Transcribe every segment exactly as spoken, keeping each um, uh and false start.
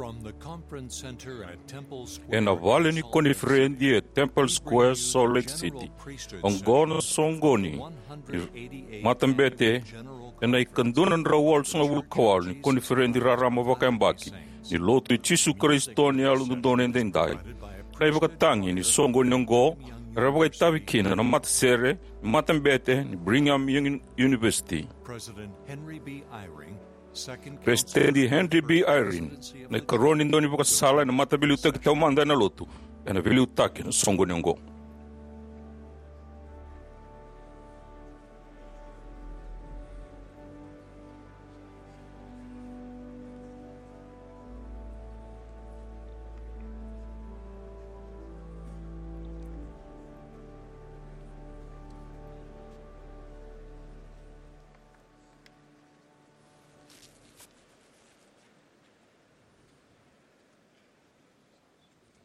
From the conference center at Temple Square, ena vale ni koniferedi e Temple Square, Salt Lake City. Oqo na soqoni ni matabete ena ikadua na drau walusagavulu ka walu ni koniferedi raraba vakayabaki ni Lotu i Jisu Karisito ni Yalododonu Edaidai. Na ivakatagi ni soqoni oqo era vakaitavi kina na matasere ni matabete ni Brigham Young University. President Henry B. Eyring, Second Peresitedi Henry B. Eyring, na ikarua ni daunivakasala ena Mataveiliutaki Taumada ena Lotu, ena veiliutaki ena soqoni oqo.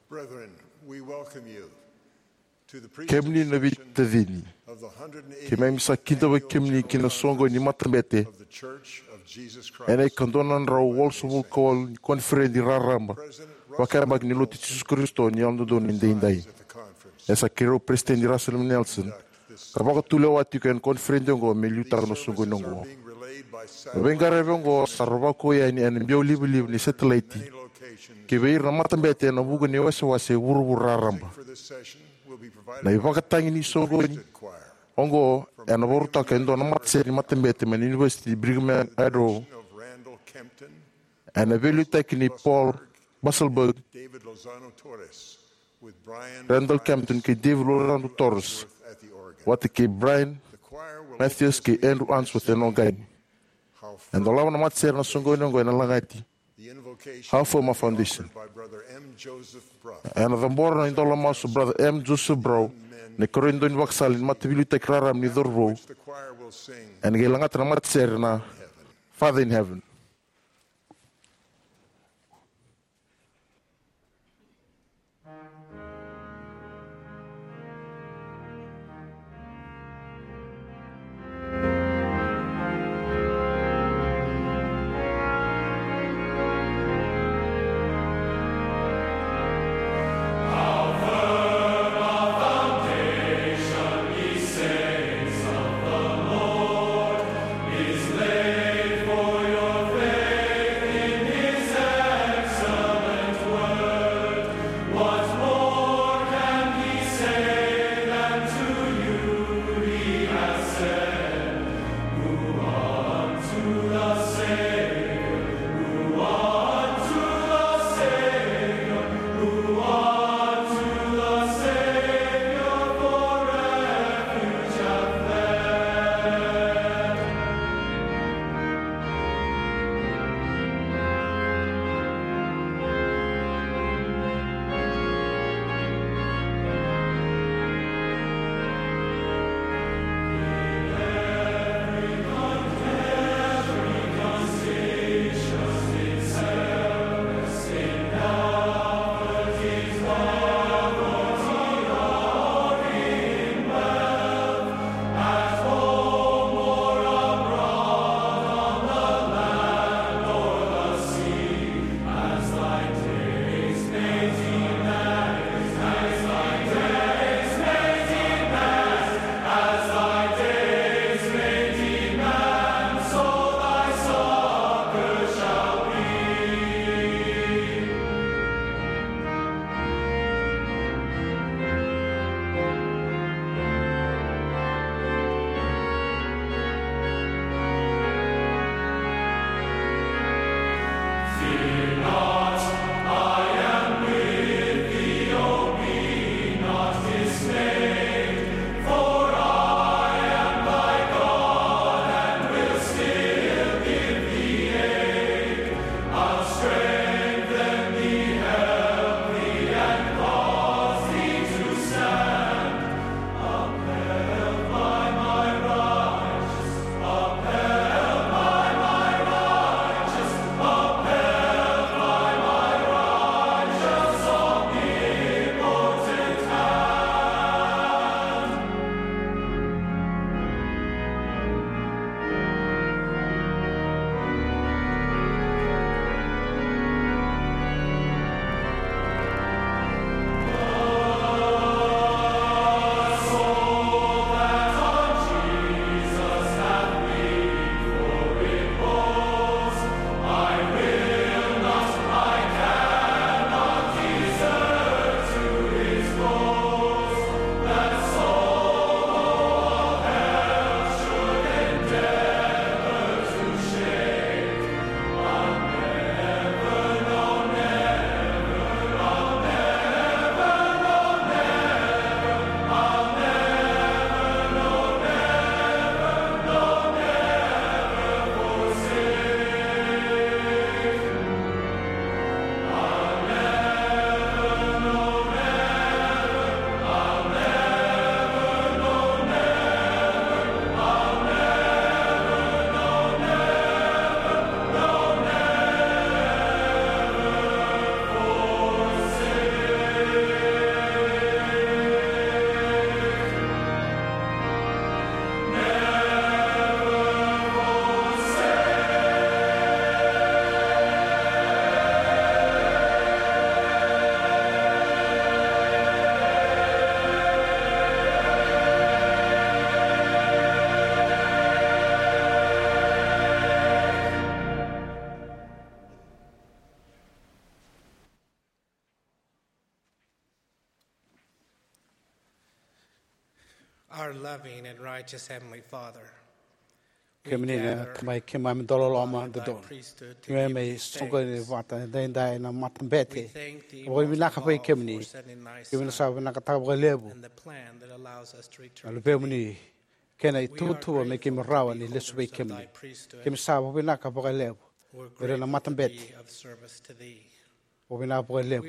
Brethren, we welcome you to the Kemuni na presentation veitacini, of the hundred and eighty keimami sa kidavaki kemuni ki na soqoni ni matabete of the Church of Jesus Christ. Ena ikadua na drau walusagavulu ka walu ni koniferedi raraba vakayabaki ni Lotu i Jisu Karisito ni Yalododonu Edaidai. E sa keirau Peresitedi Russell M. Nelson ka vakatulewa tiko ena koniferedi oqo me liutaka na soqoni oqo. Na veiqaravi oqo sa rovako yani ena biau livaliva ni setilaiti ki vei ira na matabete ena vuqa ni wasewase e vuravura raraba. Na ivakatagi ni soqoni oqo ena vakarautaka e dua na matasere ni matabete mai na Univesiti ni Brigham Young, ena veiliutaki ni Paul Busselberg, Randall Kempton kei David Lorando Torres, vata kei Brian Matthews kei Andrew Unsworth ena oqani. E dolava na matasere na soqoni oqo ena lagati How for My Foundation. Ena cabora na idola masu o Brother M. Joseph Brown, na ikarua ni daunivakasala ni Mataveiliutaki Raraba ni Cauravou. Ena qai lagata na matasere na Father in Heaven. Our loving and righteous Heavenly Father, we Kemuni na gather Tamai keimami dauloloma under thy dodonu. Priesthood to Keimami be mai soqoni vata edaidai na matabete. We thank thee Vakavinaka most of vei all kemuni. For sending thy Keimami Son sa vinakataka vakalevu and the plan that allows us to na return to thee. Luvemuni kei na ituvatuva me keimami rawa ni lesu vei kemuni. Keimami sa vakavinaka vakalevu. We're grateful to be of service to thee. Vakavinaka vakalevu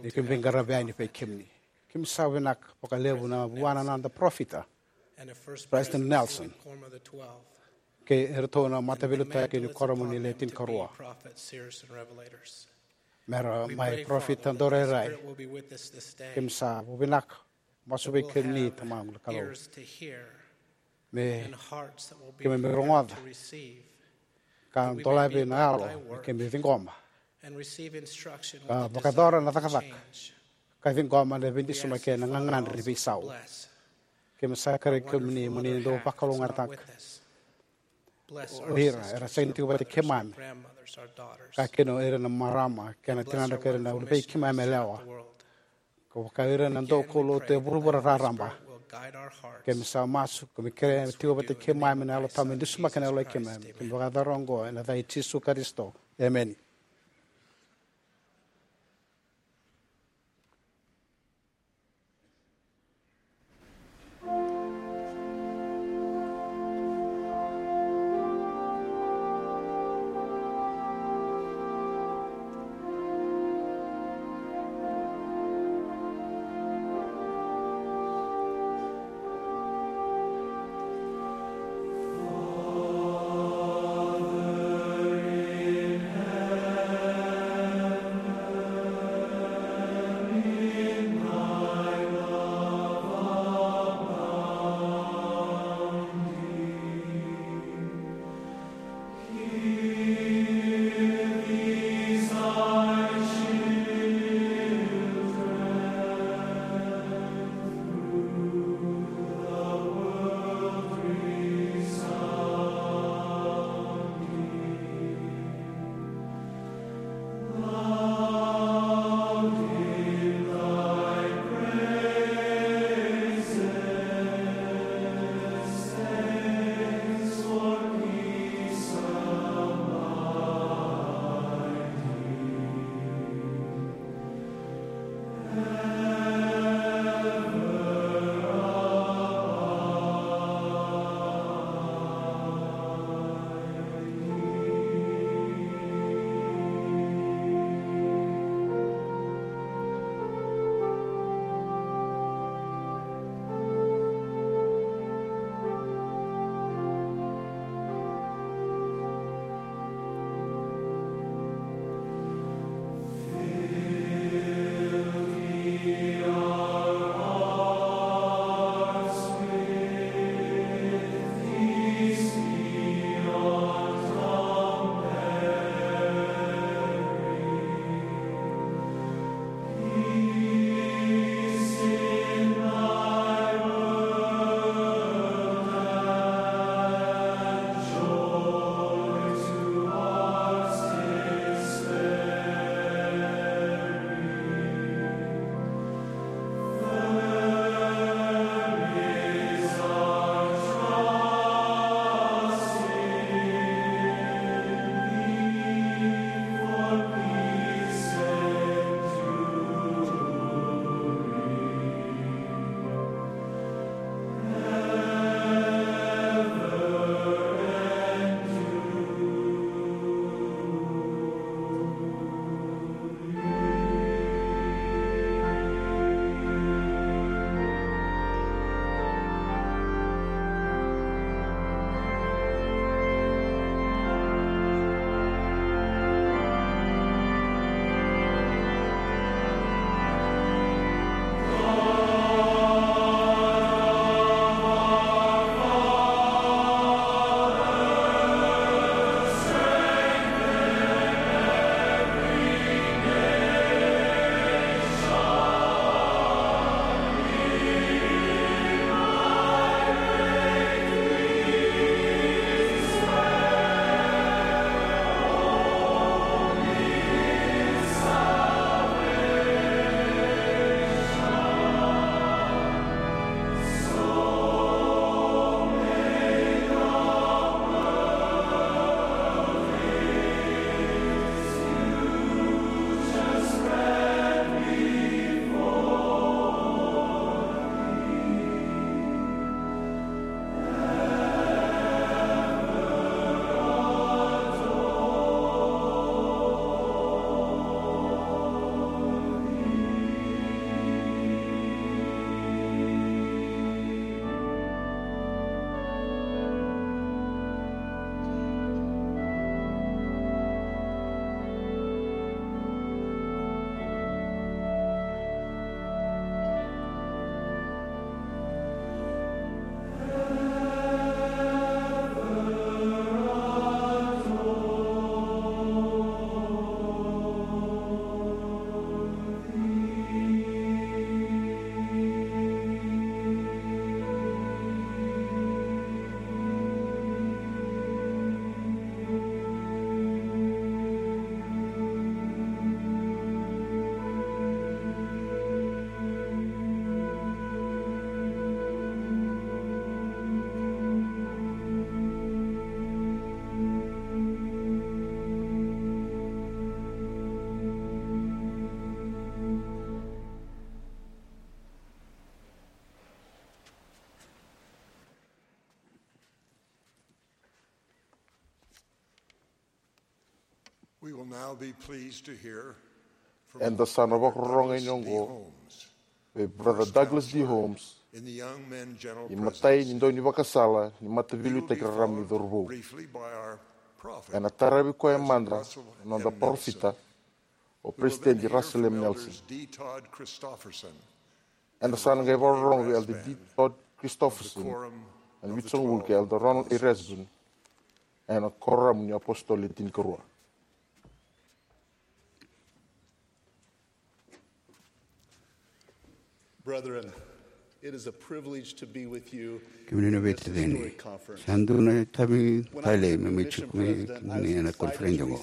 ni keimami veiqaravi yani vei kemuni. Keimami sa vinaka vakalevu na vuana na noda parofita, President Nelson, kei iratou na mataveiliutaki ni kuoramu ni Le Tinikarua, mera mai parofita daurairai. Keimami sa vakavinaka, masu vei kemuni Tamaqu na Kalou. Me keimami rogoca ka dolavi na yalo me keimami ciqoma ka vakayacora na cakacaka ka ciqoma na veidusimaki kei na gagadre ni veisau. Keimami sa kerei kemuni mo ni dau vakalougatataka o ira era sega ni tiko vata keimami, ka kina o ira na marama kei na tinadra kei ira na uluvei keimami yalewa. Ka vaka ira na daukaulotu e vuravura raraba. Keimami sa masu, keimami kerea me tiko vata keimami na Yalo Tabu me dusimaki na yalo i keimami. Keimami vakayacora oqo ena yaca i Jisu Karisito. Emeni. We will now be pleased to hear from Eda sa na vakarorogo yani oqo vei Brother Douglas D. Holmes, imatai ni dau ni vakasala ni Mataveiliutaki Raraba ni Cauravou. Ena taravi koya mada na noda parofita, o President Russell M. Nelson. Eda sa na qai vakarorogo vei Elder D. Todd Christofferson, ena vitusagavulu kei Elder Ronald A. Rasband, ena Koramu ni Apositolo Le Tinikarua. Brethren, it is a privilege to be with you. Kemuni na veitacini, sa dua na itavi talei me mai tiko mai kemuni ena koniferedi oqo.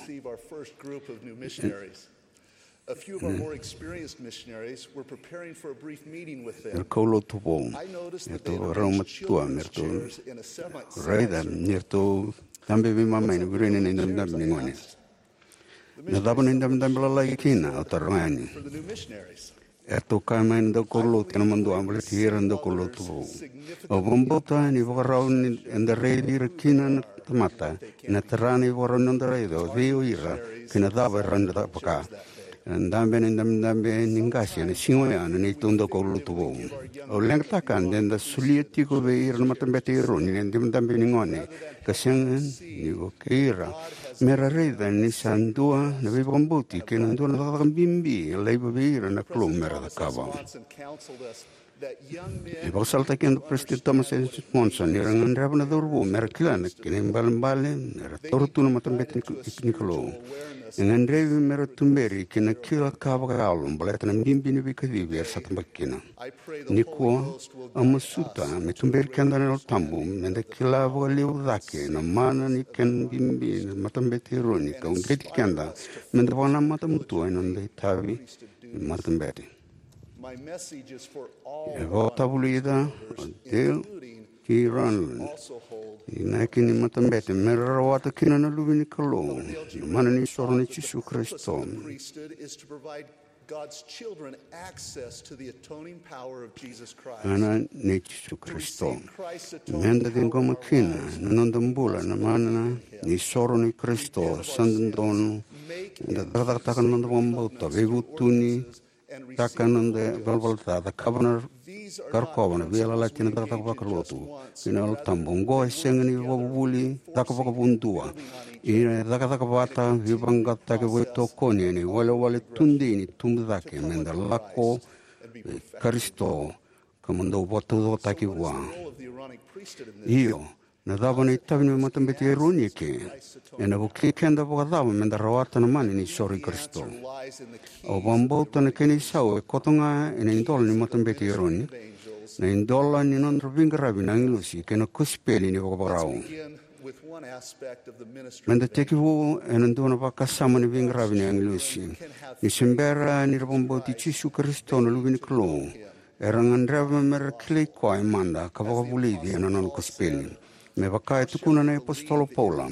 A few of our more experienced missionaries were preparing for a brief meeting with them. Era kaulotu vou. I noticed that they arranged children's chairs in a semicircle. Raica ni ratou tabe veimama ena veiruini na idabedabe ni gone. Na cava na idabedabe lalai kina, au taroga yani. Eratou kaya mai na daukaulotu ena madua baleti ira na daukaulotu vou. Au vakabauta ni vakarau ni eda raici ira kina na tamata ena tara na ivakarau ni noda raica o cei o ira kei na cava era na vaka. Ena dabe na idabedabe ni qase ena siga oya na neitou daukaulotu vou. Au leqataka de da solia tiko vei ira na matabete i Eroni na idabedabe ni gone ka sega ni vukei ira me ra raica ni sa dua na veivakabauti kei na dua na cakacaka bibi e laiva vei ira na Kalou me ra cakava. E vakasalataki eda o President Thomas S. Monson ni ra gadreva na cauravou me ra kila na kena ibalebale me ra taura tu na matabete ni, ni Kalou. E gadrevi me ra tuberi ki na kila ka vakayalo baleta na bibi ni veikacivi era sa tabaki kina. Nikua, au masuta me tuberi keda na Yalo Tabu me da kila vakalevu cake na mana ni kena bibi na matabete i Eroni ka uqeti keda me da vakanamata matua ena noda itavi ni matabete. E vakatavulica o Dale T. Renlund, inaki ni matabete me ra rawata kina na luve ni Kalou, na mana ni soro nei Jisu Karisito. God's children access to the atoning power of Jesus Christ. Mana nei Jisu Karisito. Me da ciqoma kina na noda bula na mana ni soro nei Karisito, sa dodonu eda cakacakataka na noda vakabauta, veivutuni taka na noda valavala ca, cakava na ka rokova na veiyalayalati, na cakacaka vakalotu kei na Yalo Tabu. Oqo e sega ni vakavuvuli caka vakavudua. Ia e cakacaka vata, veivaqaqacotaki, veitokoni ena iwalewale tudei ni tubu cake me da lako vei Karisito ka mo dau vakataucokotaki vua. Io, na cava na itavi ni matabete i Eroni eke? Ena vukei keda vakacava me da rawata na mana ni soro i Karisito? Au vakabauta na kena isau e koto ga ena idola ni matabete i Eroni, na idola ni nodra veiqaravi na agilosi kei na kosipeli ni vakavakarau. Me da tekivu ena dua na vakasama ni veiqaravi ni agilosi. Ni se bera ni ra vakabauti Jisu Karisito na Luve ni Kalou, era gadreva me ra kilai koya mada ka vakavulici ena nona kosipeli. Me vaka e tukuna na iapositolo Paula,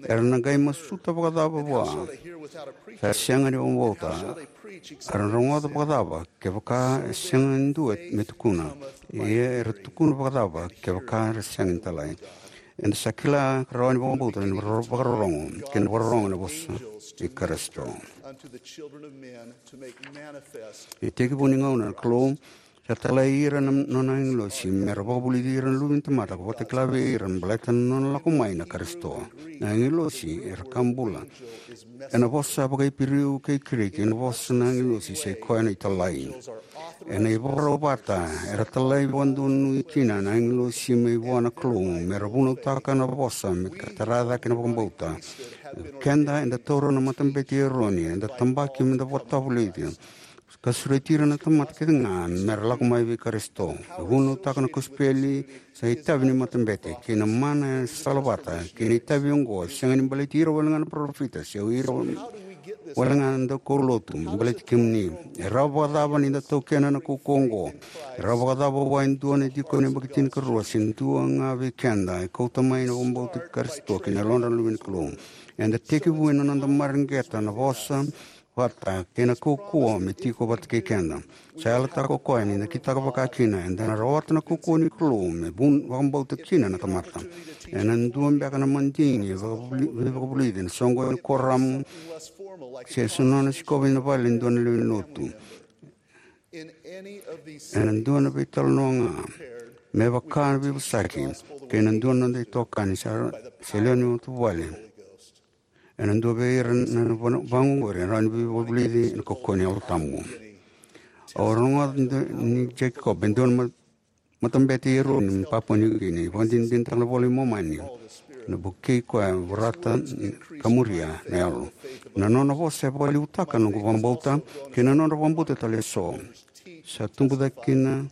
era na qai masuta vakacava vua sa sega ni vakabauta? Era na rogoca vakacava kevaka e sega e dua me tukuna? Ia era tukuna vakacava kevaka era sega ni talai? Eda sa kila ka rawa ni vakabauta ena vakarorogo kei na vakarorogo ena vosa i Karisito. E tekivu ni gauna na Kalou sa talai ira na nona agilosi me ra vakavulici ira na luve ni tamata ka vakatakila vei ira baleta na nona lako mai na Karisito. Na agilosi era ka bula. Ena vosa vakaIperiu kei Kiriki, na vosa na agilosi sa i koya na italai. Ena ivakarau vata era talai vakadonui kina na agilosi mai vua na Kalou me ra vunautaka na vosa me ka tara cake na vakabauta. Keda eda taura na matabete i Eroni, eda tabaki me da vakatavulici ka sureti ira na tamata kece ga me ra lako mai vei Karisito. E vunautaka na kosipeli sa itavi ni matabete kei na mana e salavata kei na itavi oqo, e sega ni baleti ira wale ga na parofita se o ira wale ga na daukaulotu, baleti kemuni. E rawa vakacava ni da taukena na kaukaua oqo? E rawa vakacava vua e dua na dikoni yabaki tinikarua se dua ga vei keda e kauta mai na vakabauta i Karisito kei na yalodra na luve ni Kalou? Eda tekivu ena noda mareqeta na vosa vata kei na kaukauwa me tiko vata kei keda. Sa yalataka o koya ni na kitaka vaka kina eda na rawata na kaukauwa ni Kalou me vun vakabauta kina na tamata. Ena dua beka na madigi e vakavuli- veivakavulici ena soqoni ni koramu se sa nona sikova ina vale e dua na lewe ni lotu, ena dua na veitalanoa ga me vaka na veivosaki kei na dua na noda itokani sa, se lewe ni matavuvale. Ena dua vei ira na vana- vagoqori e rawa ni veivakavulici ena kaukauwa ni Yalo Tabu. Au rogoca e dua ni Jacob, e dua na ma- matabete i Eroni mai Papua Niukini, vakadinadinataka na iVola i Momani, na vukei koya e vorata ka muria na yalo. Na nona vosa e vakalevutaka na noqu vakabauta kei na nodra vakabauta tale eso. Sa tubu cake kina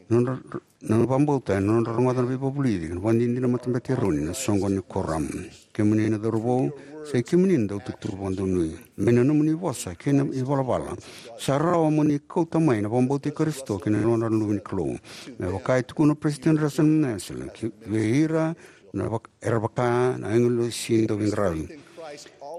nodra, na vakabauta ena nodra rogoca na veivakavulici, na vakadinadina matabete i Eroni ena soqoni ni koramu. Kemuni na cauravou, sa i kemuni na dautukutuku vakadonui. Mai na nomuni vosa kei na ivalavala, sa rawa mo ni kauta mai na vakabauta i Karisito kei na nodra luve ni Kalou. Me vaka e tukuna o President Russell M. Nelson, ki vei ira na vak- era vaka na agilosi dauveiqaravi.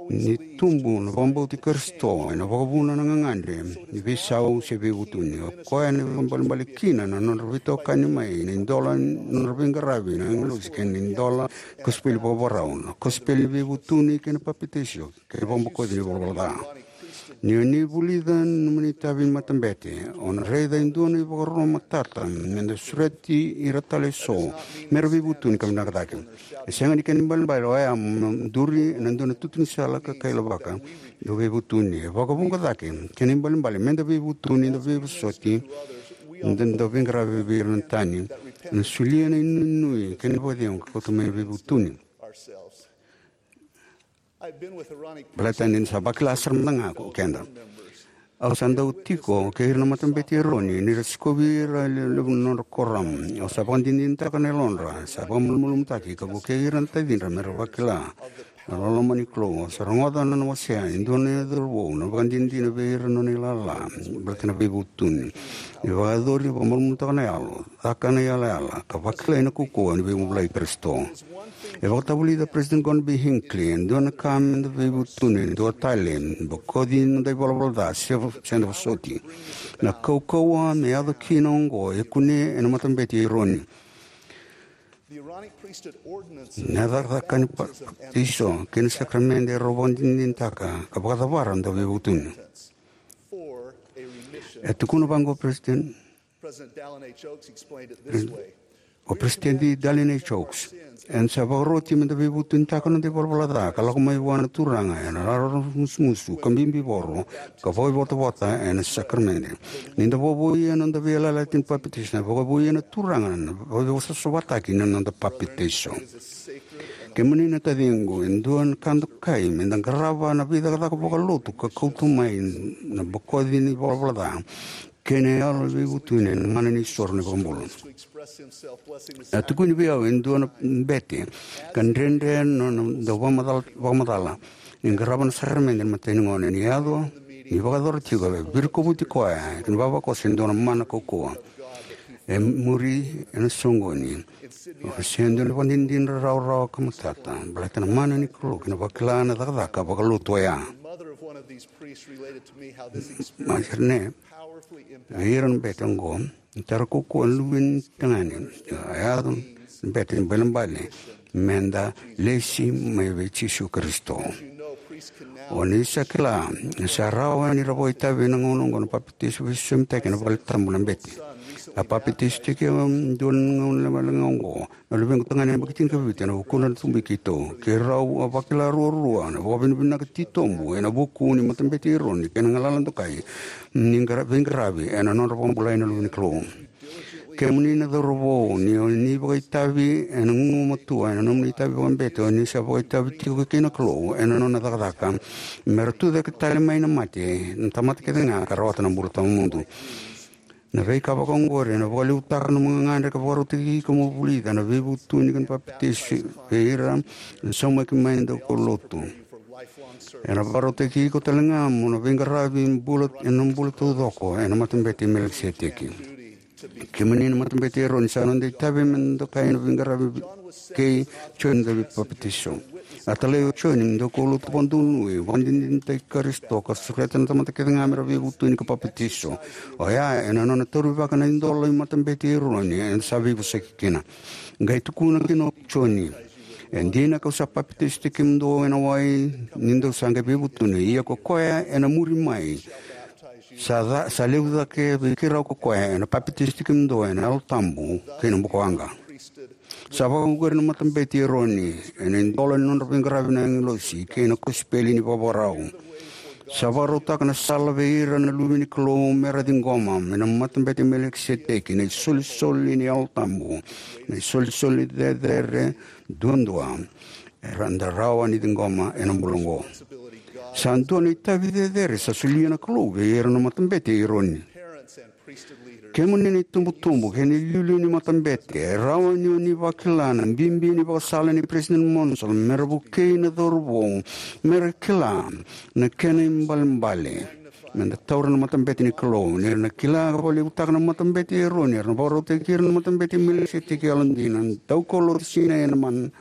Ni tubu na vakabauta i Karisito ena vakavuna na gagadre ni veisau se veivutuni. O koya na vakaibalebale kina na nodra veitokani mai na idola ni nodra veiqaravi na agilosi kei na idola kosipeli vakavakarau, na kosipeli ni veivutuni kei na papitaiso kei na vakabokoci ni ivalavala ca. Ni o ni vulica na nomuni itavi ni matabete, o na raica e dua na ivakaro matata me da sureti ira tale eso me ra veivutuni ka vinaka cake. E sega ni kena ibalebale oya mo duri ena dua na tutu ni sala ka kailavaka, da veivutuni. E vakavuqa cake, kena ibalebale me da veivutuni, da veivosoti, da, da veiqaravi vei ira na tani, na solia na inuinui kei na vakacegu ka kauta mai na veivutuni. Baleta ni sa vakila sara mada ga ko keda. Au sa dau tiko kei ira na matabete i Eroni ni ra sikovi ira e levu na nodra koramu. Au sa vakadinadinataka na yalodra sa vakamalumalumutaki ka vukei ira na tacidra me ra vakila na loloma ni Kalou. Au sa rogoca na nona wasea e dua na cauravou na vakadinadina vei ira na nona ilala baleta na veivutuni. Ni vakayacori, vakamalumalumutaka na yalo, caka na iyalayala ka vakilai na kaukauwa ni veivakabulai i Karisito. E vakatavulica President Gordon B. Hinckley e dua na ka me da veivutuni, dua tale, bokoci na noda ivalavala ca se, se da vosoti. Na kaukauwa me yaco kina oqo e kunei ena matabete i Eroni. Na cakacaka ni papitaiso kei na sakaramede e rau vakadinadinataka ka vakacavara na dauveivutuni. E tukuna vaqo o President President Dallin H. Oaks explained it this way. O President Dallin H. Oaks, eda sa vakaroti me da veivutunitaka na noda ivalavala ca ka lako mai vua na Turaga ena raramusumusu ka bibivoro ka vakaivotavota ena sakaramede. Ni da vakavouya na noda veiyalayalati ni papitaiso, ena vakavouya na Turaga na vakaivosavasavataki ni noda papitaiso. Kemuni na taciqu, e dua na ka dokai me da qarava na veicakacaka vakalotu ka kauta mai na bokoci ni ivalavala ca kei na yalo veivutuni ena mana ni soro ni vakabula. A tukuni vei au e dua na bete ka dredre na nona dau vakamacala, vakamacala ni qarava na sakaramede ena imatai ni gauna. Ni yaco, ni vakayacora tiko, e virikovuti koya ki na ivavakoso e dua na mana kaukauwa. E muri ena soqoni. Oka se dua na ivakadinadina rawarawa ka matata baleta na mana ni Kalou kei na vakila na cakacaka vakalotu oya. Mother of one of these priests related to me how this experience Maserne, powerfully impacted vei ira na bete oqo, ni tara kaukauwa na luve ni tagane. A yaco na bete ni balebale me da lesi mai vei Jisu Karisito. O ni sa kila, sa rawa ni ra vakaitavi ena gauna oqo na papitaiso veisosomitaiki ena valetabu na bete. A papitaisotaki au e dua na gauna lekaleka oqo na luvequ tagane yabaki tinikavitu ena vukudra na tubu i keitou. Keirau a vakila ruarua na vakavinavinaka titobu ena vuku ni matabete i Eroni kei na galala dokai ni qara-, veiqaravi ena nodra vakabulai na luve ni Kalou. Kemuni na cauravou, ni o ni vakaitavi ena gugumatua ena nomuni itavi vakabete, o ni sa vakaitavi tiko kei na Kalou ena nona cakacaka me ra tucake tale mai na mate na tamata kece ga ka rawata na bula tawamudu. Na veika vakaoqori ena vakalevutaka na nomu gagadre ka vakarautaki iko mo vulica na veivutuni kei na papitaiso vei ira na saumaki mai na daukaulotu. Ena vakarautaki iko tale ga mo na veiqaravi bula ena bula taucoko ena matabete i Melikiseteki. Kemuni na matabete i Eroni, sa noda itavi me da dokai na veiqaravi kei Joni na Dauveipapitaisotaki. A talai o Joni me daukaulotu vakadonui, vakadinadinataki Karisito, ka sureta na tamata kece ga me ra veivutuni ka papitaiso. Oya ena nona taurivaka na idola ni Matabete i Eroni eda sa veivosaki kina. Qai tukuna kina o Joni, e dina kau sa papitaisotaki kemudou ena wai ni dou sa qai veivutuni, ia ko koya ena muri mai sa, ca, sa levu cake vei keirau ko koya, ena papitaisotaki kemudou ena Yalo Tabu kei na bukawaqa. Sa vakauqeti na Matabete i Eroni ena idola ni nodra veiqaravi na agilosi kei na kosipeli ni vakavakarau. Sa vakarautaka na sala vei ira na luve ni Kalou me ra ciqoma mai na Matabete i Melikiseteki na isolisoli ni Yalo Tabu, na isolisoli cecere duadua era da rawa ni ciqoma ena bula oqo. Sa dua na itavi cecere sa solia na Kalou vei ira na Matabete i Eroni. Kemuni na itubutubu kei na iliuliu ni matabete, e rawa ni o ni vakila na bibi ni vakasala nei President Monson me ra vukei na cauravou me ra kila na kena ibalebale me da taura na matabete ni Kalou. Ni ra na kila ka vakalevutaka na Matabete i Eroni, era na vakarautaki ira na Matabete i Melikiseteki yalodina, daukaulotu Sinai ena mana,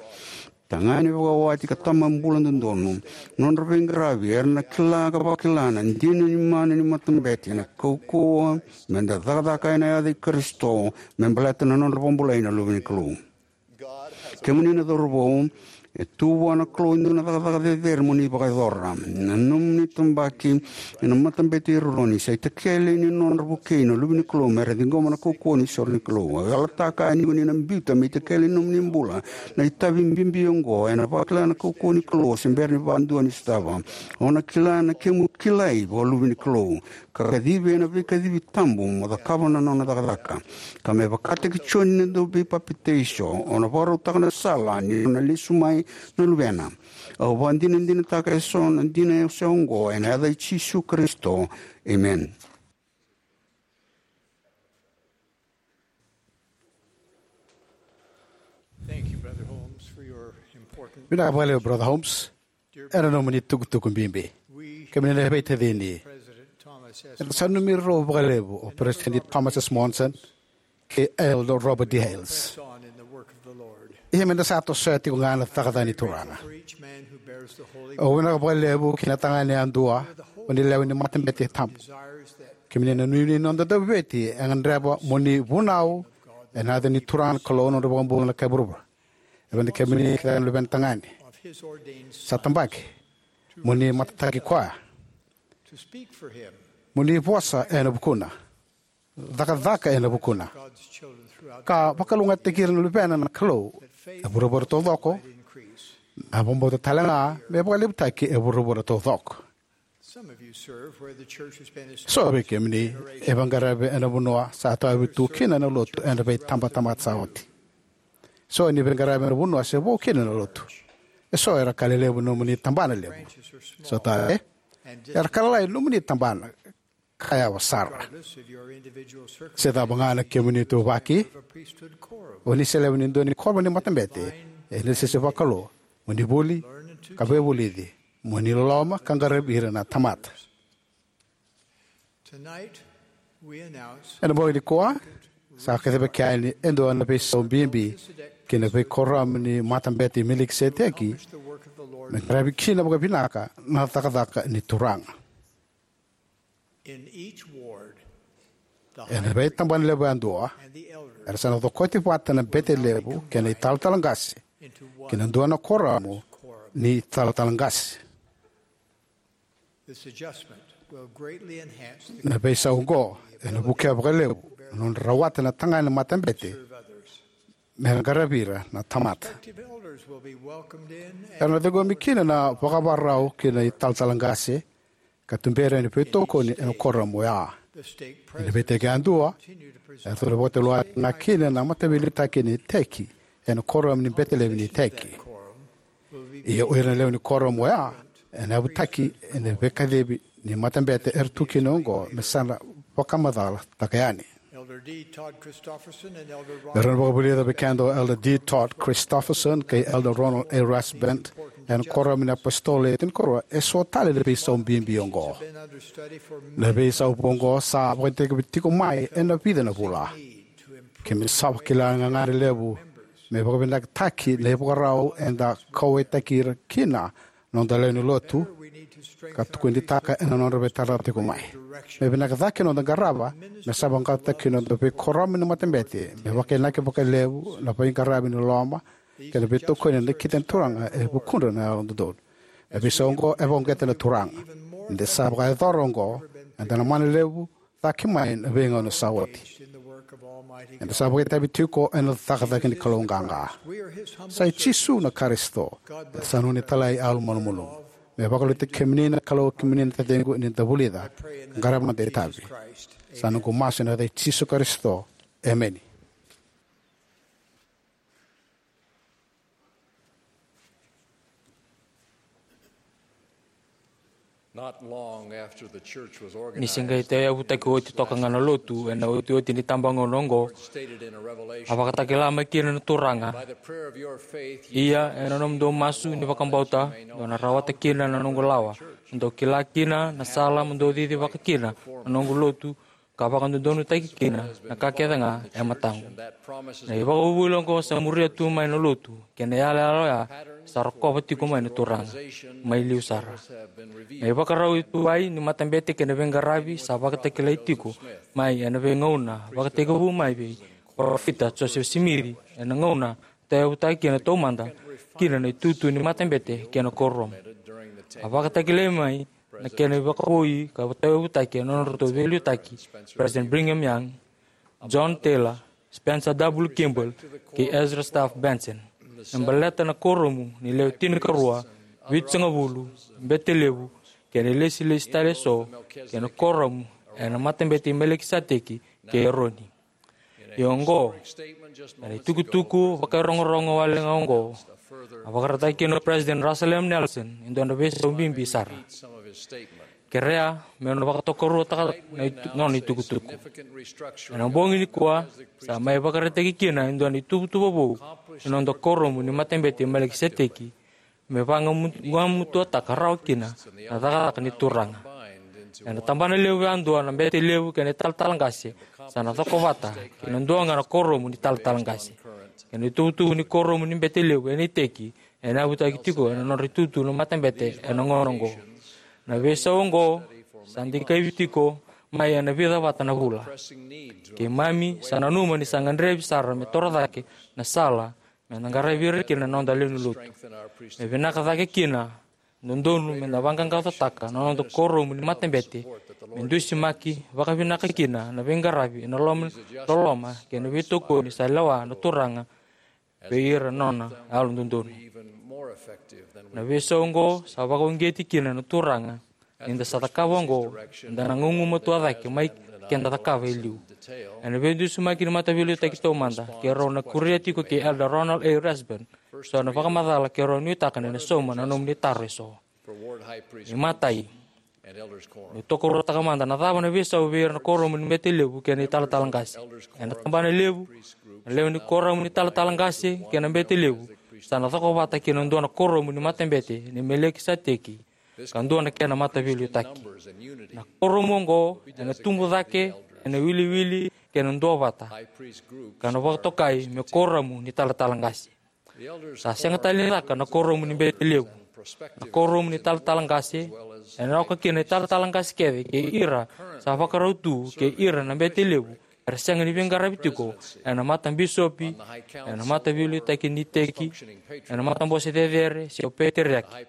tagane vakawati ka tama bula dodonu. Nodra veiqaravi era na kila ka vakila na dina ni mana ni matabete, na kaukauwa me da cakacaka ena yaca i Karisito me baleta na nodra vakabulai na luve ni Kalou. Kemuni na cauravou, e tu vua na Kalou e dua na cakacaka cecere mo ni vakayacora. Na nomuni tabaki ena Matabete i Eroni sa itakele ni nodra vukei na luve ni Kalou me ra ciqoma na kaukauwa ni sore ni Kalou. Au yalataka yani ko ni na biuta me itakele ni nomuni bula na itavi bibi oqo, ena vakila na kaukauwa ni Kalou se bera ni vakadua ni sotava. O na kila na kemu kilai vakaluve ni Kalou, ka kacivi ena veikacivi tabu mo cakava na nona cakacaka. Ka me vakataki Joni na dauveipapitaiso, o na vakarautaka na sala ni nona lesu mai na Luvena. Au vakadinadinataka eso na dina e se oqo ena yaca i Jisu Karisito. Amen. Thank you, Brother Holmes, for your important Vinaka vakalevu, Brother Holmes, ena nomuni tukutuku bibi. We, kemuni na veitacini, President Thomas S. eda sa nanumi rau vakalevu o President Thomas S. Monson kei Elder Robert D. Hales. Press on in the work of the Lord. Ia meda sa tosoya tiko ga na cakacaka ni Turaga. For each man who bears the Holy Cross, au vinaka vakalevu kina tagane yadua, o ni lewe ni matabete tabu. Desires that Kemuni na nuinui ni noda dauveti, e gadreva mo ni vunau ena yaca ni Turaga na Kalou, nodra vakabula na kai vuravura. E vei kemuni kece na luvena tagane sa tabaki, mo ni matataki koya, mo ni vosa ena vukuna, cakacaka ena vukuna, ka vakalougatataki ira na luvena na Kalou e vuravura taucoko, na vakabauta tale ga me vakalevutaki e vuravura taucoko. So vei kemuni e vaqaravi ena vanua sa tawayavu tu kina na lotu ena veitabatamata sa oti. So ni vaqaravi ena vanua se vo kina na lotu. Eso era ka lelevu nomuni tabana levu. So tale era ka lalai nomuni tabana ka yawa sara. Se cava ga na kemuni ituvaki, o ni se lewe ni dua ni korama ni matabete, ena sese vakalou mo ni vuli ka veivulici, mo ni loloma ka qaravi ira na tamata. Ena bogi nikua sa kacivaki yani e dua na veisau bibi ki na veikoramu ni Matabete i Melikiseteki, me qaravi kina vakavinaka na cakacaka ni Turaga. Ena veitabana levu yadua era sa na cokoti vata na bete levu kei na italatala qase ki na dua na koramu ni talatala qase. Na veisau oqo ena vukea vakalevu na nodra rawata na tagane matabete me ra qaravi ira na tamata. Era na ciqomi kina na vakavakarau ki na italatala qase ka tuberi ena veitokoni ena koramu oya. Ena veiteki yadua eratou na vakatulewataka kina na mataveiliutaki ni iteki ena koramu ni bete levu ni iteki. Ia o ira na lewe ni koramu oya ena yavutaki ena veikacivi ni matabete era tu kina oqo me sa na vakamacalataka yani. Era na vakavulica vei keda o Elder D. Todd Christofferson kei Elder Ronald A. Rasband ena koramu ni apositolo e tinikarua eso tale na veisau bibi oqo. Na veisau oqo sa vakatekivu tiko mai ena vica na vula. Keimami sa vakila na gagadre levu Me vakavinakataki na ivakarau eda kauwaitaki ira kina na noda lewe ni lotu, ka tukunitaka ena nodra veitaratara tiko mai. Me vinaka cake na noda qarava me sa vaqaqacotaki na noda veikuoramu ni matabete, me vakainaki vakalevu na veiqaravi ni loloma kei na veitokoni e nakita na Turaga e vukudra na yalododonu. Na veisau oqo e vakauqeta na Turaga. Ni da sa vakayacora oqo, eda na mana levu cake mai na veigauna sa oti. Eda sa vakaitavi tiko ena cakacaka ni Kalou qaqa. Sa i Jisu na Karisito, eda sa nona italai yalomalumalumu. Me vakaloutaki kemuni na Kalou, kemuni na taciqu, ni da vulica, qarava na noda itavi. Sa noqu masu ena yaca i Jisu Karisito. Emeni. Not long after the church was organized, ni se qai tauyavutaki oti toka ga na lotu ena otioti ni tabagauna oqo, stated in a revelation, a vakatakila mai kina na Turaga: "By the prayer of your faith, ye ia shall ena nomudou masu ni vakabauta, dou na rawata kina na noqu lawa, mo dou kila kina na sala mo dou cicivaka kina na noqu lotu, ka vakadodonutaki kina na ka kece ga e mataqu." Na ivakavuvuli oqo sa muria tu mai na lotu, kei na yalayala oya sa rokova tiko mai na Turaga mai liu sara. Na ivakarau e tu mai ni matabete kei na veiqaravi sa vakatakilai tiko mai ena veigauna vakatekivu mai vei Parofita Josefa Simici ena gauna tauyavutaki kina taumada kina na itutu ni matabete kei na kuoramu. A vakatakilai mai na kena ivakavoui ka tauyavutaki ena nodratou veiliutaki President Brigham Young, John Taylor, Spencer W. Kimball, kei Ezra Taft Benson, me baleta na kuoramu ni lewe tinikarua, vitusagavulu, bete levu, kei na ilesilesi tale eso, kei na kuoramu ena matabete i Melikiseteki kei Eroni. Ia oqo, ena itukutuku vakairogorogo wale ga oqo, a vakaraitaki kina o President Russell M. Nelson e dua na veisau bibi sara. Kerea meu na vakatokaruataka na itu-, nona itukutuku. Ena bogi nikua, sa mai vakaraitaki kina e dua na ituvatuva vou ni noda kuoramu ni matabete i Melikiseteki, me vagamutuataka rawa kina na cakacaka ni Turaga. Ena tabana levu yadua, na bete levu kei na italatala qase sa na cokovata ki na dua ga na kuoramu ni talatala qase. Kei na ituvatuva ni kuoramu ni bete levu ena iteki ena yavutaki tiko ena nodra itutu na matabete ena gauna oqo. Na veisau oqo sa dikevi tiko mai ena vica vata na vula. Keimami sa nanuma ni sa gadrevi sara me toro cake na sala me na qaravi ira kina na noda lewe ni lotu. Me vinaka cake kina, dodonu me na vaqaqacotaka na noda kuoramu ni matabete, me dusimaki vakavinaka kina na veiqaravi ena loma, loloma kei na veitokoni sa lewa na Turaga vei ira na nona yalododonu. Na veisau oqo sa vakauqeti kina na Turaga. Ni da sa cakava oqo, da na gugumatua cake mai ke da cakava e liu. Ena veidusimaki ni mataveiliutaki taumada, keirau na kuria tiko kei Elder Ronald A. Rasband so na vakamacala keirau nuitaka ni na sauma na nomuni taro eso. Imatai, meu tokaruataka mada na cava na veisau vei ira na kuoramu ni bete levu kei na italatala qase. Ena tabana levu, na lewe ni kuoramu ni talatala qase kei na bete levu sa na cokovata ki na dua na kuoramu ni matabete ni Melikiseteki, ka dua na kena mataveiliutaki. Na kuoramu oqo ena tubu cake ena iwiliwili kei na duavata, ka na vakatokai me kuoramu ni talatala qase. Sa sega tale ni caka na kuoramu ni bete levu. Na kuoramu ni talatala qase ena oka kina na italatala qase kece kei ira sa vakarau tu kei ira na bete levu era sega ni veiqaravi tiko ena matabisopi, ena mataveiliutaki ni iteki, ena matabose cecere se o peteriaki.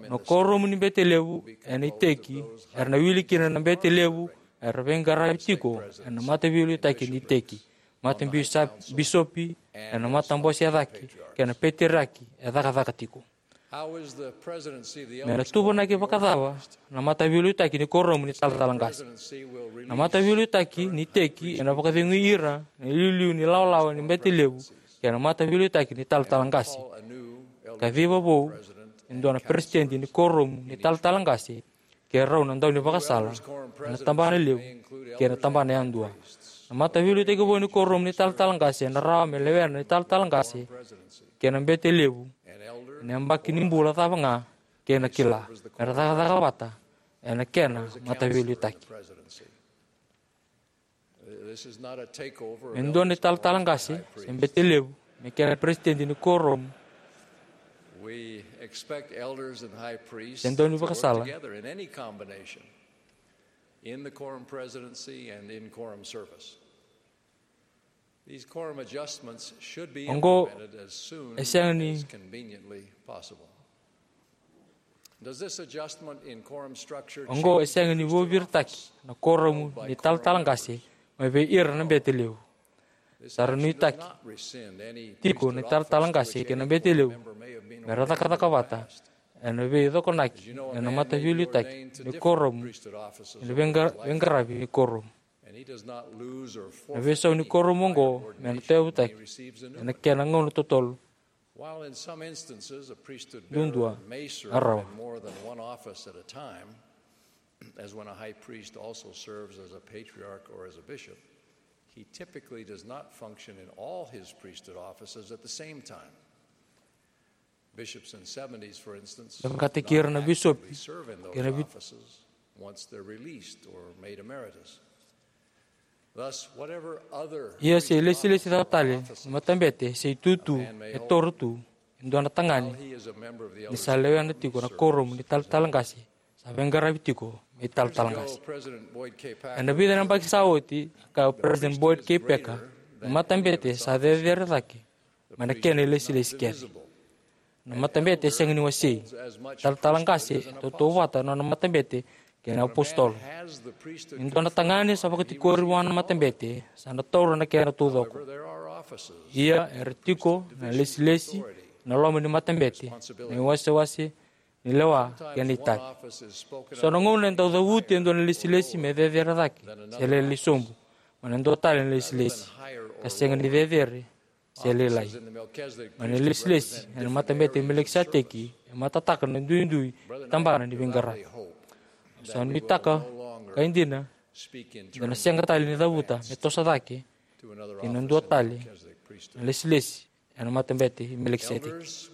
Na kuoramu ni bete levu ena iteki era na wili kina na bete levu era veiqaravi tiko ena mataveiliutaki ni iteki, matabisopi, ena matabose e cake, kei na peteriaki e cakacaka tiko. Me na tuvanaki vakacava na mataveiliutaki ni kuoramu ni talatala qase? Na mataveiliutaki ni iteki ena vakacegui ira na iliuliu ni lawalawa ni bete levu kei na mataveiliutaki ni talatala qase. Kaciva vou e dua na peresitedi ni kuoramu ni talatala qase, keirau na daunivakasala ena tabana levu kei na tabana yadua. Na mataveiliutaki vou ni kuoramu ni talatala qase ena rawa me lewena na italatala qase kei na bete levu ena yabaki ni bula cava ga kei na kila, me ra cakacaka vata ena kena mataveiliutaki. E dua na italatala qase se bete levu me kena peresitedi ni kuoramu. We expect elders and high priests Sendoni to work vakasala. Together in any combination in the quorum presidency and in quorum service. These quorum adjustments should be Oqo implemented as soon e sega ni as conveniently possible. Does this adjustment in quorum structure Oqo e change sega ni the priesthood vuaviritaki office? na kuoramu ni talatala qase mai vei ira na bete levu. Sa ra nuitaki tiko na talatala qase kei na bete levu me ra cakacaka vata ena veicokonaki ena mataveiliutaki ni kuoramu ena veiqa- veiqaravi ni kuoramu. Na veisau ni kuoramu oqo me na tauyavutaki ena kena gauna totolo. While in some instances a priesthood Duadua bearer may na serve rawa. In more than one office at a time, as when a high priest also serves as a patriarch or as a bishop, he typically does not function in all his priesthood offices at the same time. Bishops and seventies, for instance, Vakatakira na bisopi serve in kei na those vi- offices once they're released or made emeritus. Thus, whatever other Ia se ilesilesi ca tale ni matabete se itutu e toro tu e dua na tagane ni sa lewena tiko na kuoramu ni talatala qase sa veiqaravi tiko me italatala qase. Ena vica na yabaki sa oti, a kaya o President Boyd K. Packer, na matabete sa cecere cake mai na kena ilesilesi kece. Na matabete e sega ni wasei. Talatala qase e tautauvata na nona matabete kei na apositolo. Ni dua na tagane sa vakatikori vua na matabete sa na taura na kena taucoko. Ia era tiko na lesilesi na loma ni matabete, na iwasewase ni lewa kei na itavi. So na gauna e dau cavuti e dua na lesilesi me cecere cake se lailai sobu mai na dua tale na lesilesi ka sega ni cecere se lailai. Mai na lesilesi ena matabete i Melekisateki e matataka na duidui tabana ni veiqaravi. Sa nuitaka ka e dina da na sega tale ni cavuta me toso cake kei na dua tale na lesilesi ena matabete i Melekisateki.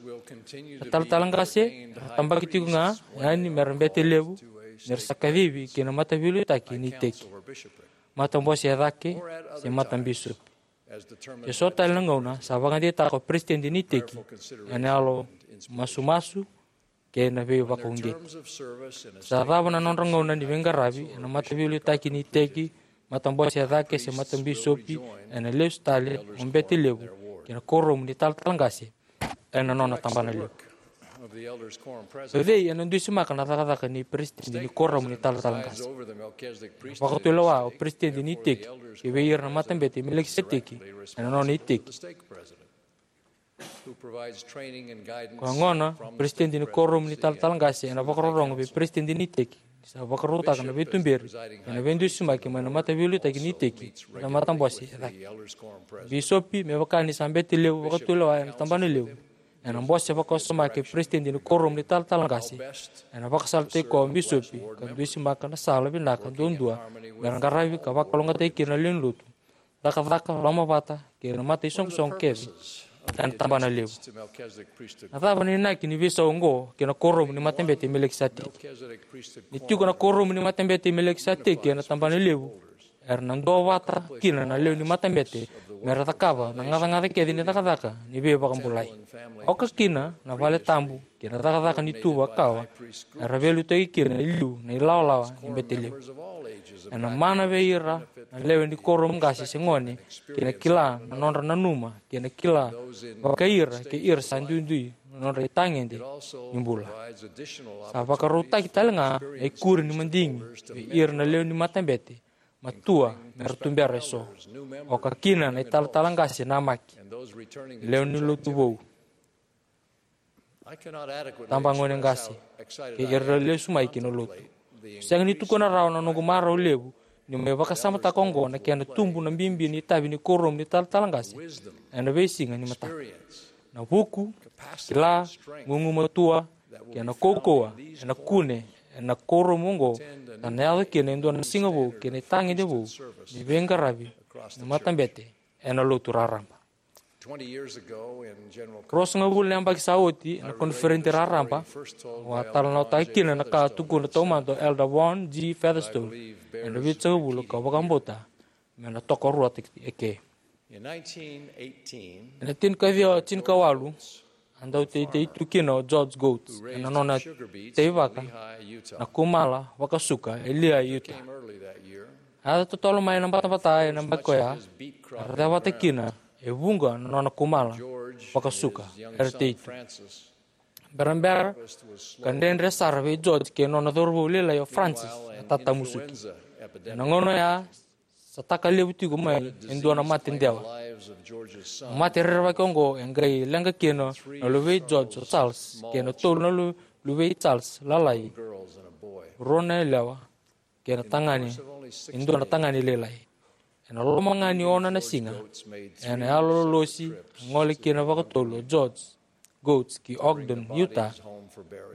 Na talatala qase era tabaki tiko ga yani mera bete levu nira sa kacivi kei na mataveiliutaki ni iteki, matabose e cake se matabisopi. E so tale na gauna sa vakadeitaka o peresitedi ni iteki ena yalo masumasu kei na veivakauqeti. Sa cava na nodra gauna ni veiqaravi ena mataveiliutaki ni iteki, matabose e cake se matabisopi, ena lesu tale o bete levu kei na kuoramu ni talatala qase ena nona tabana levu. O cei ena dusimaka na cakacaka ni peresitedi ni kuoramu ni talatala qase? Vakatulewa o peresitedi ni iteki ki vei ira na matabete i Melekisateki ena nona iteki. Ko a gona o peresitedi ni kuoramu ni talatala qase ena vakarorogo vei peresitedi ni iteki ni sa vakarautaka na veituberi ena veidusimaki mai na mataveiliutaki ni iteki ena matabose e cake. Bisopi, me vaka ni sa bete levu vakatulewa ena tabana levu, ena bose vakawasoma kei peresitedi ni kuoramu ni talatala qase. Ena vakasalataki koya o bisopi ka dusimaka na sala vinaka duadua mera qaravi ka vakalougatataki kina na lewe ni lotu, cakacaka, lomavata kei na mataisoqosoqo kece ena tabana levu. Na cava na inaki ni veisau oqo kei na kuoramu ni matabete i Melekisateki? Ni tiko na kuoramu ni matabete i Melekisateki ena tabana levu, era na duavata kina na lewe ni matabete mera cakava na gacagaca kece ni cakacaka ni veivakabulai, oka kina na vale tabu kei na cakacaka ni tuva kawa era veiliutaki kina e liu na ilawalawa ni bete levu. Ena mana vei ira na lewe ni kuoramu qase se gone kei na kila na nodra nanuma kei na kila vakai ira kei ira sa duidui na nodra itagede ni bula. Sa vakarautaki tale ga na ikuri ni madigi vei ira na lewe ni matabete, matua mera tubera eso, oka kina na italatala qase namaki, lewe ni lotu vou, tabagone qase kei ira lesu mai ki na lotu. Sega ni tukuna rawa na noqu marau levu niu mai vakasamataka oqo na kena tubu na bibi ni itavi ni kuoramu ni talatala qase ena veisiga ni mataka. Na vuku, kila, gugumatua kei na kaukauwa ena kune ena kuoramu oqo, ka na yaco kina e dua na siga vou kei na itagede vou ni veiqaravi ni matabete ena lotu raraba. Ruasagavulu na yabaki sa oti, ena koniferedi raraba, au a talanoataka kina na ka a tukuna taumada o Elder Vaughn G. Featherstone ena Vitusagavulu, kau vakabauta me na tokaruataki eke. Ena tinikaciwa tinikawalu, a dau teitei tu kina o George Goats ena nona teivaka na kumala vakasuka e Lehi, Utah. A yaco totolo mai na batabata ena yabaki oya, era cevata kina e vuqa na nona kumala vakasuka era tei tu. Berabera ka dredre sara vei George kei na nona cauravou lailai o Frances na tatamusuki. Ena gauna oya, sa taka levu tiko mai e dua na mate dewa. Na mate rerevaki oqo e qai leqa kina na luvei George o Charles kei na tolu na lu- luvei Charles lalai, rua na yalewa kei na tagane, e dua na tagane lailai. Ena loma ga ni ono na siga, ena yalololosi a gole kina vakatolu o George Goats ki Ogden, Utah,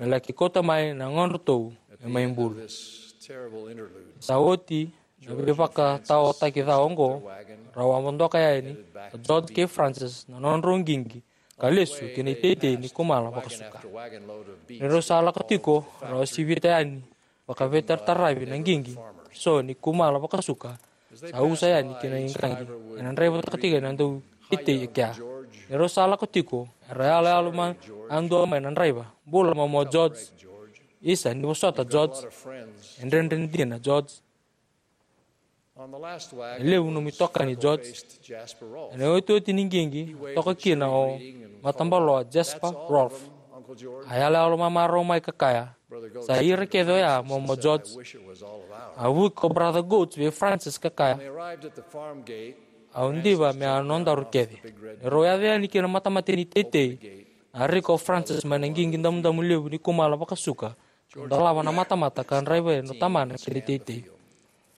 me laki kauta mai na yagodratou e mai bulu. Sa oti na veivakataotaki ca oqo, rau a vodoka yani o George kei Frances na nodrau qiqi ka lesu ki na iteitei ni kumala vakasuka. Ni rau sa lako tiko, rau a sivita yani vakaveitarataravi na qiqi so ni kumala vakasuka sa usa yani ki na iqaqi, ena draivataka tiko na dauteitei e kea. Ni rau sa lako tiko, era yaloyalo madua mai na draiva. Bula momo George. Isa, ni vosota George. E dredre dina George. E levu nomu itokani George. Ena iotioti ni qiqi, a toka kina o matabaloa Jasper Rolfe. A yaloyalo mamarau mai ka kaya, "Sa ira kece oya, momo George." A vuki ko Brother Goats vei Frances ka kaya, "Au diva me a nodaru kece." Ni rau yaco yani ki na matamata ni teitei, a rika o Frances mai na qiqi damudamu levu ni kumala vakasuka, dolava na matamata ka draiva yani o tamana ki na iteitei.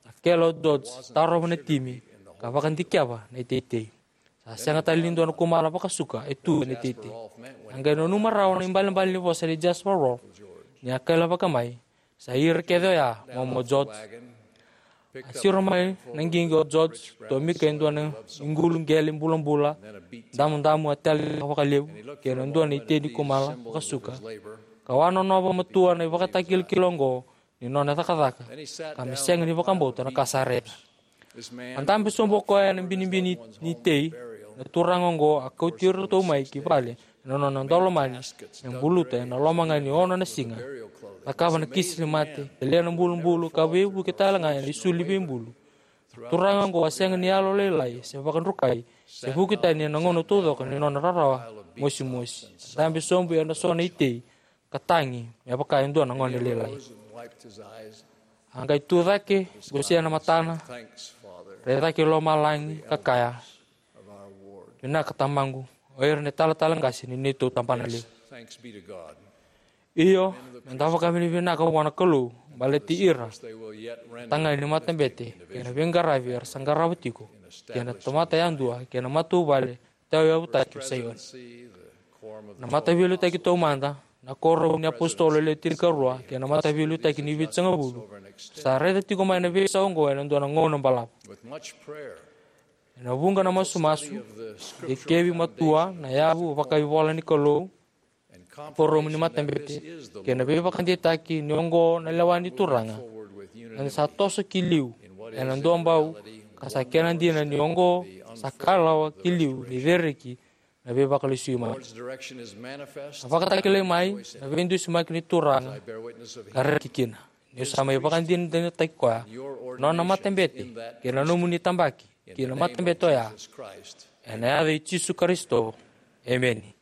A kele o George, tarova na timi ka vakadikeva na iteitei. Sa sega tale ni dua na kumala vakasuka e tu ena iteitei. A qai nanuma rawa na ibalebale ni vosa nei Jasper Rolfe ni a kailavaka mai, "Sa ira kece oya, momo George." A siro mai na qiqi o George, tomika e dua na iqulu qele bulabula damudamu a tele vakalevu kei na dua na itei ni kumala vakasuka, ka wanonova matua na ivakatakilakila oqo ni nona cakacaka, ka me sega ni vakabauta na ka sa raica. A dabe sobu o koya ena binibini ni tei. Na turaga oqo a kauti iratou mai ki vale ena nona daulomani, me buluta ena loma ga ni ono na siga. Cakava na kisi ni mate, kelia na bulubulu, ka veivuke tale ga ena isulu ni veibulu. Turaga oqo a sega ni yalolailai se vakadrukai se vuki tani ena gauna taucoko ni nona rarawa mosimosi. A dabe sobu ena so na itei ka tagi me vaka e dua na gone lailai. A qai tu cake, qosea na matana, rai cake i lomalagi ka kaya, "Vinaka Tamaqu, o ira na italatala qase ni neitou tabana levu." Io, me da vakavinavinaka vua na Kalou baleti ira na tagane ni matabete kei na veiqaravi era sa qarava tiko, kei na tamata yadua kei na matavuvale tauyavutaki o Saioni. Na Mataveiliutaki Taumada, na Kuoramu ni iApositolo Le Tinikarua kei na Mataveiliutaki ni Vitusagavulu sa raica tiko mai na veisau oqo ena dua na gauna balavu. Ena vuqa na masumasu, dikevi matua, na yavu vakaivolanikalou, Kuoramu ni Matabete, kei na veivakadeitaki ni oqo na lewa ni Turaga, eda sa toso ki liu ena duabau, ka sa kena dina ni oqo sa kalawa ki liu ni cereki na veivakalesui mata. A vakatakilai mai na veidusimaki ni Turaga ka rereki kina. Niu sa mai vakadinadinataki koya, nona matabete, kei na nomuni tabaki ki na matabete oya, ena yaca i Jisu Karisito. Emeni.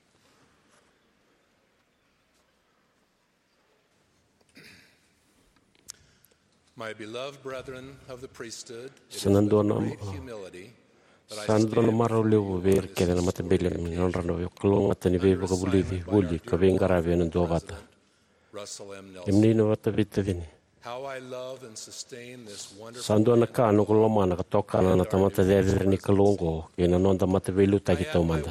My beloved brethren of the priesthood, it Sa is na with dua na great humility that I sa na dua na stand marau levu vei ira kece na matabele me nodra na veikalougata ni veivakavulici vuli ka veiqaravi ena duavata. Russell M. Nelson. Emeni na vata veitacini. How I love and sustain this wonderful Sa dua na ka noqu lomana ka tokana na tamata cecere ni Kalou oqo kei na noda Mataveiliutaki Taumada.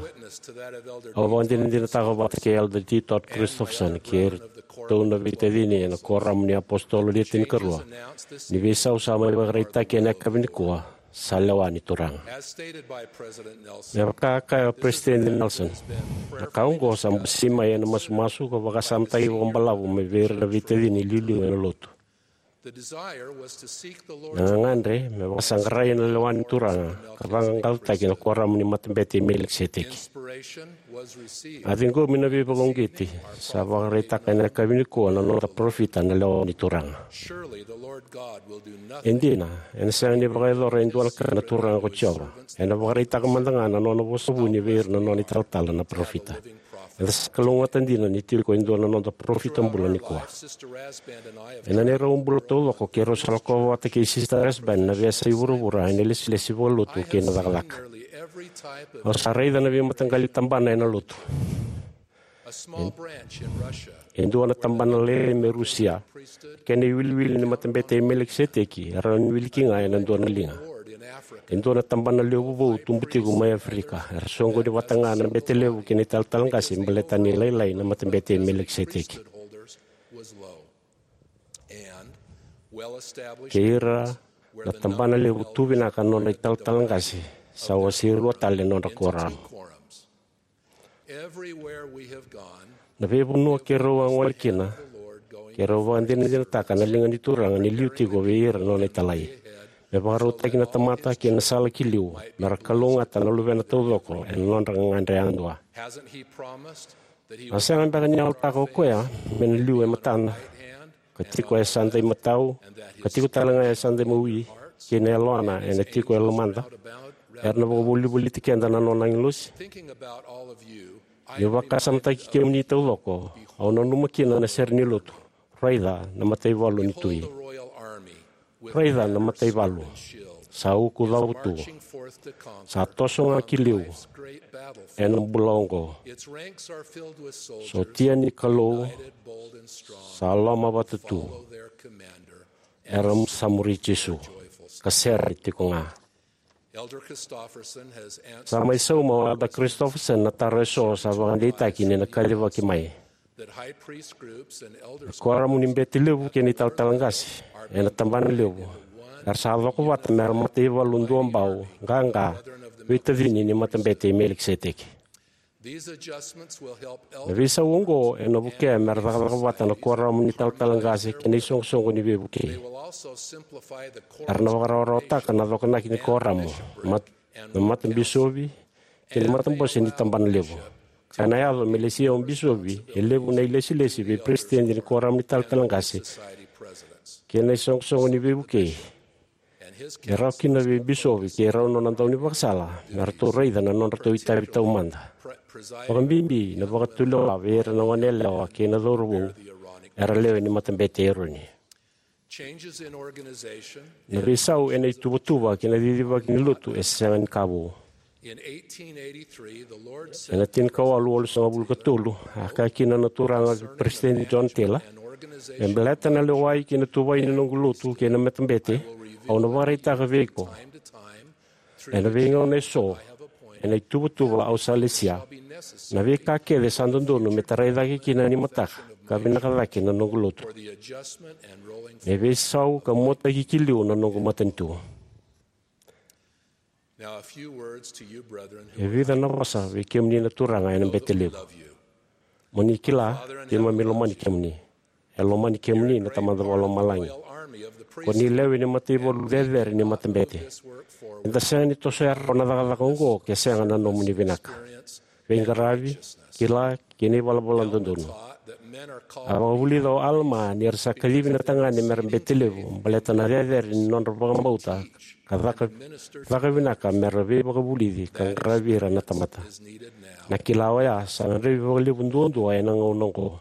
Au vakadinadinataka vata kei Elder D. Todd Christofferson kei iratou na veitacini ena Kuoramu ni iApositolo Le Tinikarua ni veisau sa mai vakaraitaki ena yakavi nikua sa lewa ni Turaga. Me vaka a kaya o Peresitedi Nelson, na ka oqo sa basei mai ena masumasu ka vakasamataki vakabalavu mai vei ira na veitacini iliuliu ena Lotu. Na gagadre me vakasaqarai na lewa ni Turaga ka vaqaqacotaki na kuoramu ni Matabete i Melikiseteki. A ciqomi na veivakauqeti sa vakaraitaka ena yakavi nikua na noda parofita na lewa ni Turaga. E dina, ena sega ni vakayacora e dua na ka na Turaga ko Jiova. Ena vakaraitaka mada ga na nona vosa vuni vei ira na nona italatala na parofita. Eda sa kalougata dina ni tiko e dua na noda parofita bula nikua. Ena neirau bula taucoko keirau sa lakova vata kei Sister Rasband na veiyasai vuravura ena ilesilesi vakalotu kei na cakacaka. Au sa raica na veimataqali tabana ena lotu. E dua na tabana lailai mai Rusia, kena iwiliwili ni Matabete i Melikiseteki era na wili ki ga ena dua na liga. E dua na tabana levu vou tubu tiko mai Aferika, era soqoni vata ga na bete levu kei na italatala qase baleta ni lailai na Matabete i Melikiseteki. Kei ira na tabana levu tu vinaka na nodra italatala qase, sa wase rua tale na nodra kuoramu. Na veivanua keirau a gole kina, keirau vakadinadinataka na liga ni Turaga ni liu tiko vei ira na nona italai, me vakarautaki na tamata ki na sala ki liu, me ra kalougata na luvena taucoko ena nodra gagadre yadua. A sega beka ni yalataka o koya me na liu e matada, ka tiko e yasada imatau, ka tiko tale ga e yasada imawi, kei na yalona ena tiko e lomada, era na vakavolivoliti keda na nona agilosi? Niu vakasamataki kemuni taucoko, au nanuma kina na sere ni lotu. Raica na mataivalu ni tui. Raica na mataivalu. Sa uku cavu tu. Sa toso ga ki liu ena bula oqo. Sotia ni Kalou sa lomavata tu. Era sa muri Jisu ka sere tiko ga. Sa mai sauma o Elder Christofferson na taro eso sa vakadeitaki ni na kacivaki mai. Na kuoramu ni bete levu kei na italatala qase ena tabana levu era sa coko vata mera mataivalu duabau, qaqa, veitacini ni Matabete i Melikiseteki. Na veisau oqo ena vukea mera cakacaka vata na kuoramu ni italatala qase kei na isoqosoqo ni veivukei. Era na vakarawarawataka na cokonaki ni kuoramu, mat-, na matabisovi kei na matabose ni tabana levu. Ka na yaco me lesia o bisovi e levu na ilesilesi vei peresitedi ni kuoramu ni italatala qase kei na isoqosoqo ni veivukei, e rawa kina vei bisovi kei rau nona daunivakasala me ratou raica na nodratou itavi taumada, vakabibi na vakatulewa vei ira na goneyalewa kei na cauravou era lewe ni Matabete i Eroni. Na veisau ena ituvatuva kei na cicivaki ni lotu e sega ni ka vou. Ena tinikawalu walusagavulu ka tolu, a kaya kina na Turaga vei Peresitedi John Taylor, me baleta na lewai kei na tuvai ni noqu lotu kei na matabete, au na vakaraitaka vei iko ena veigauna eso, ena ituvatuva au sa lesia, na veika kece sa dodonu me tarai cake kina ni mataka ka vinaka cake na noqu lotu. Me veisau ka muataki ki liu na noqu matanitu. E vica na vosa vei kemuni na turaga ena bete levu. Mo ni kila, keimami lomani kemuni. E lomani kemuni na Tamada Vakalomalagi. Ko ni lewe ni mataivalu cecere ni matabete. Eda sega ni tosoya rawa na cakacaka oqo ke sega na nomuni vinaka, veiqaravi, kila, kei na ivalavala dodonu. A vakavulica o Alama ni era sa kacivi na tagane mera bete levu baleta na cecere ni nodra vakabauta ka caka, caka vinaka mera veivakavulici ka qaravi ira na tamata. Na kila oya sa gadrevi vakalevu duadua ena gauna oqo.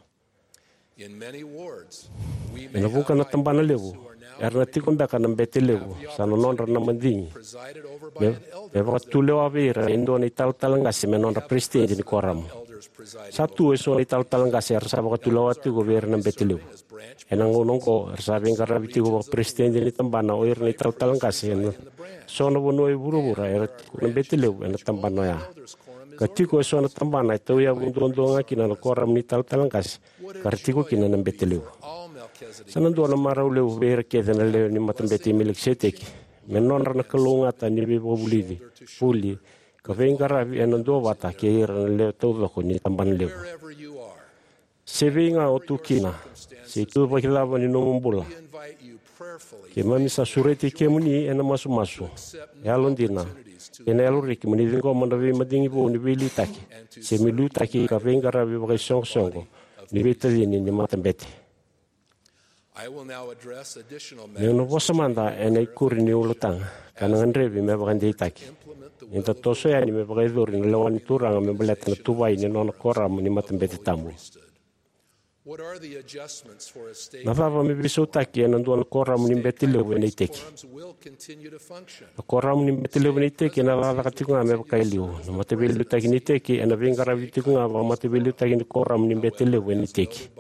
Ena vuqa na tabana levu era na tiko beka na bete levu, sa na nodra na madigi me, me vakatulewa vei ira e dua na italatala qase me nodra peresitedi ni kuoramu. Sa tu eso na italatala qase era sa vakatulewa tiko vei ira na bete levu. Ena gauna oqo era sa veiqaravi tiko vakaperesitedi ni tabana o ira na italatala qase ena so na vanua e vuravura era tiko na bete levu ena tabana oya. Ka tiko eso na tabana e tauyavu duadua ga kina na kuoramu ni italatala qase ka ra tiko kina na bete levu. Sa na dua na marau levu vei ira kece na lewe ni matabete i Melikiseteki me nodra na kalougata ni veivakavulici, vuli, ka veiqaravi ena duavata kei ira na lewe taucoko ni tabana levu. Se vei ga o tu kina, se ituvaki cava ni nomu bula, Keimami sa sureti kemuni ena masumasu, yalodina, kei na yaloreki mo ni ciqoma na veimadigi vou ni veiliutaki, se me liutaki ka veiqaravi vakaisoqosoqo ni veitacini ni matabete. Meu na vosa mada ena ikuri ni ulutaga ka na gadrevi me vakadeitaki. Ni da toso yani me vakayacori na lewa ni Turaga me baleta na tuvai ni nona koramu ni matabete tabu. Na cava me veisautaki ena dua na koramu ni bete levu ena iteki? Na koramu ni bete levu ena iteki ena cakacaka tiko ga me vaka e liu. Na mataveiliutaki ni iteki ena veiqaravi tiko ga vaka mataveiliutaki ni koramu ni bete levu ena iteki.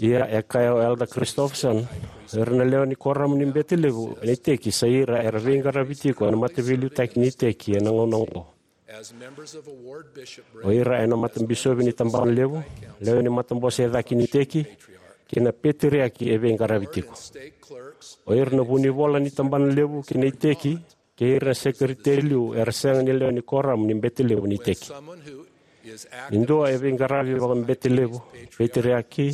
Ia e kaya o Elder Christofferson, o ira na lewe ni koramu ni bete levu ena iteki sa ira era veiqaravi tiko ena mataveiliutaki ni iteki ena gauna oqo. O ira ena matabisopi ni tabana levu, lewe ni matabose e cake ni iteki, kei na peteriaki e veiqaravi tiko. O ira na vunivola ni tabana levu kei na iteki, kei ira na sekeriteri liu era sega ni lewe ni koramu ni bete levu ni iteki. Ni dua e veiqaravi vakabete levu, peteriaki,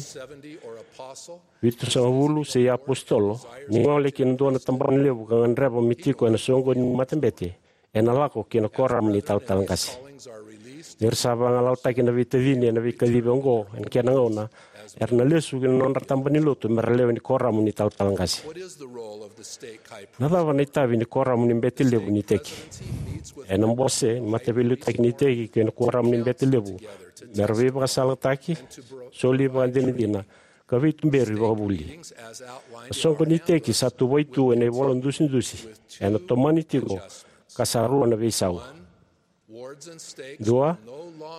vitusagavulu se iapositolo, ni gole ki na dua na tabana levu ka gadreva me tiko ena soqoni ni matabete, ena lako ki na koramu ni talatala qase. Ni ra sa vagalalataki na veitacini ena veikacivi oqo ena kena gauna, era na lesu ki na nodra taba ni lotu me ra lewe ni koramu ni talatala qase. Na cava na itavi ni koramu ni bete levu ni iteki? Ena bose ni mataveiliutaki ni iteki kei na koramu ni bete levu me ra veivakasalataki, soli vakadinadina, ka veituberi vakavuli. Na soqo ni iteki sa tuvai tu ena ivola dusidusi ena tomani tiko ka sa rua na veisau. Dua,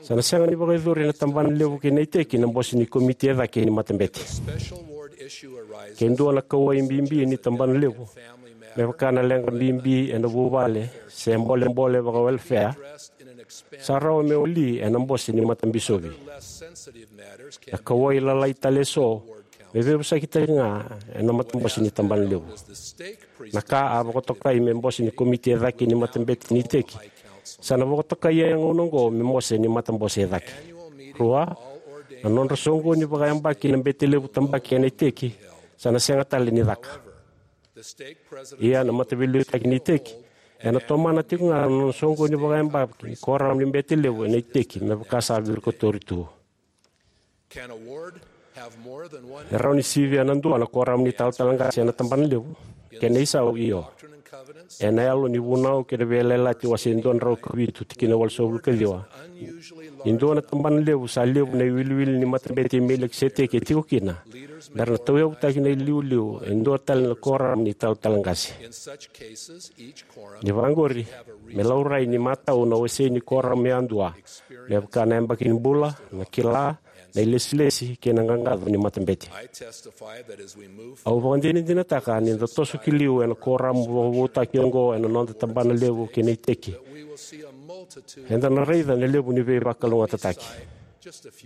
sa na sega ni vakayacori ena tabana levu kei na iteki na bose ni komiti e cake ni matabete. Ke dua na kauwai bibi ni tabana levu, me vaka na leqa bibi ena vuvale se bolebole vakawelefea, sa rawa me wali ena bose ni matabisopi. Na kauwai lalai tale eso me veivosakitaki ga ena matabose ni tabana levu. Na ka a vakatokai me bose ni komiti e cake ni matabete ni iteki sa na vakatokai ena gauna oqo me bose ni matabose e cake. Rua, na nodra soqoni vakayabaki na bete levu tabaki ena iteki sa na sega tale ni caka. Ia na mataveiliutaki ni iteki ena tomana tiko ga na nona soqoni vakayabaki ni koramu ni bete levu ena iteki me vaka sa virikotori tu. E rawa ni sivia na dua na koramu ni talatala qase ena tabana levu? Kena isau, io. Ena yalo ni Vunau kei na Veiyalayalati wase dua na drau ka vitu tikina walusagavulu ka ciwa, ni dua na tabana levu sa levu na iwiliwili ni matabete i Melikiseteki e tiko kina, me ra na tauyavutaki na iliuliu e dua tale na koramu ni talatala qase. Ni vaqori, me laurai ni matau na wasei ni koramu yadua, me vaka na yabaki ni bula, na kila, na ilesilesi kei na qaqaco ni matabete. Au vakadinadinataka ni da toso ki liu ena koramu vakavoutaki oqo ena noda tabana levu kei na iteki, eda na raica na levu ni veivakalougatataki.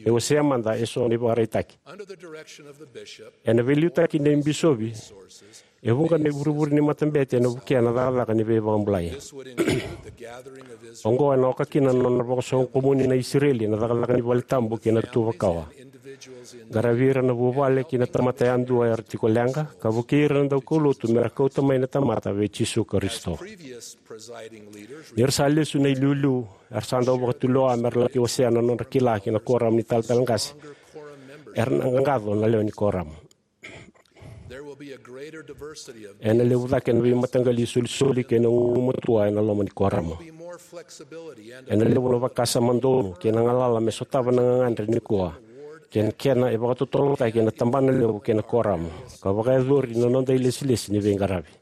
E wasea mada eso na ivakaraitaki. Ena veiliutaki nei bisopi, e vuqa na ivurevure ni matabete ena vukea na cakacaka ni veivakabulai. Oqo ena oka kina na nona vakasoqomuni na Isireli ena cakacaka ni valetabu kei na tuvakawa. Qaravi ira na vuvale kei na tamata yadua era tiko leqa, ka vukei ira na daukaulotu me ra kauta mai na tamata vei Jisu Karisito. Ni ra sa lesu na iliuliu, era sa dau vakatulewa me ra laki wasea na nodra kila ki na koramu ni talatala qase. Era na qaqaco na lewe ni koramu. Ena levu cake na veimataqali isolisoli kei na gugumatua ena loma ni koramu. Ena levu na vakasama donu kei na galala me sotava na gagadre nikua, kei na kena e vakatotolotaki ena tabana levu kei na koramu, ka vakayacori na noda ilesilesi ni veiqaravi.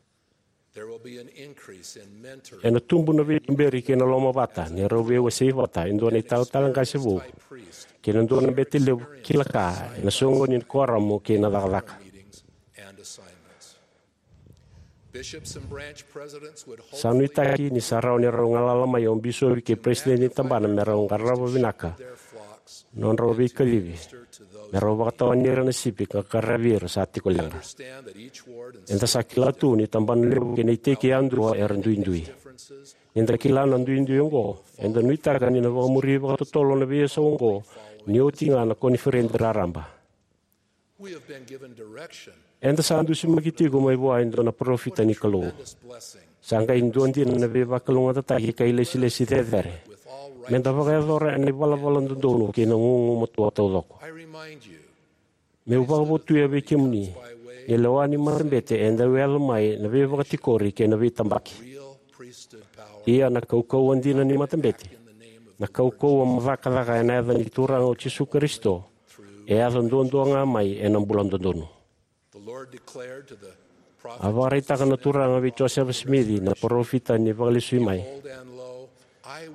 Ena tubu na veituberi kei na lomavata ni rau veiwasei vata e dua na italatala qase vou kei na dua na bete levu kila ka ena soqoni ni koramu kei na cakacaka. Sa nuitaki ni sa rawa ni rau galala mai o bisopi kei peresitedi ni tabana me rau qarava vinaka nodrau veikacivi, me rau vakatawani ira na sipi ka qaravi ira sa tiko leqa. Eda sa kila tu ni tabana levu kei na iteki yadua era duidui. Ni da kila na duidui oqo, eda nuitaka ni na vakamuri vakatotolo na veiyasau oqo ni oti ga na koniferedi raraba. Eda sa dusimaki tiko mai vua e dua na parofita ni Kalou. Sa qai dua dina na veivakalougatataki ka ilesilesi cecere. Meda vakayacora ena ivalavala dodonu kei na gugumatua taucoko. Meu vakavotuya vei kemuni ni lewa ni matabete e dau yaco mai na veivakatikori kei na veitabaki. Ia na kaukauwa dina ni matabete, na kaukauwa mo cakacaka ena yaca ni Turaga o Jisu Karisito, e yaco duadua ga mai ena bula dodonu. A vakaraitaka na Turaga vei Josefa Simici na parofita ni Vakalesui Mai: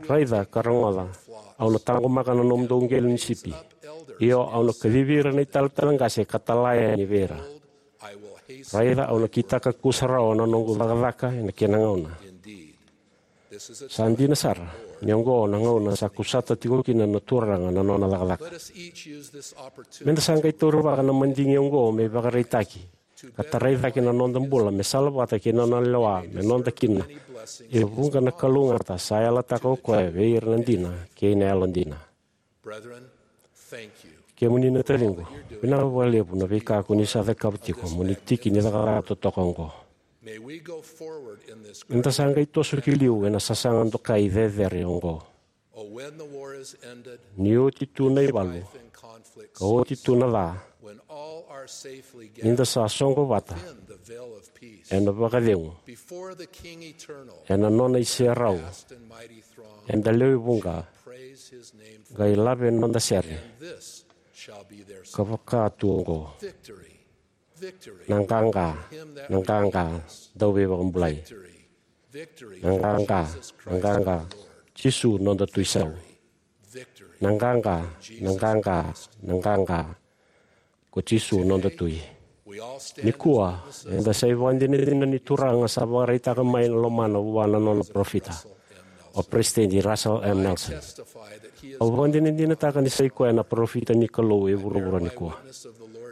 Raica ka rogoca, au na taqomaka na nomudou qele ni sipi, io au na kacivi ira na italatala qase ka tala yani vei ira. Raica, au na kitaka kusarawa na noqu cakacaka ena kena gauna. Sa dina sara ni oqo na gauna sa kusata tiko kina na Turaga na nona cakacaka. Meda sa qai taurivaka na madigi oqo me ivakaraitaki ka tarai cake na noda bula me salavata kei na nona lewa me noda kina. E vuqa na kalougata sa yalataka o koya vei ira na dina kei na yalodina. Kemuni na taciqu, vinaka vakalevu na veika ko ni sa cakava tiko mo ni tiki ni cakacaka totoka oqo. Eda sa qai toso ki liu ena sasaga dokai cecere oqo. Ni oti tu na ivalu ka oti tu na ca, nida sa soqo vata ena vakacegu ena nona iserau, eda lewe vuqa qai lave noda sere ka vaka tu oqo: Na qaqa, na qaqa, Dauveivakabulai. Na qaqa, na qaqa, Jisu noda Tui Sau. Na qaqa, na qaqa, na qaqa, ko Jisu noda Tui. Nikua eda sa ivakadinadina ni Turaga sa vakaraitaka mai na lomana vua na nona parofita, o Peresitedi Russell M. Nelson. Au vakadinadinataka ni sa i koya na parofita ni Kalou e vuravura nikua.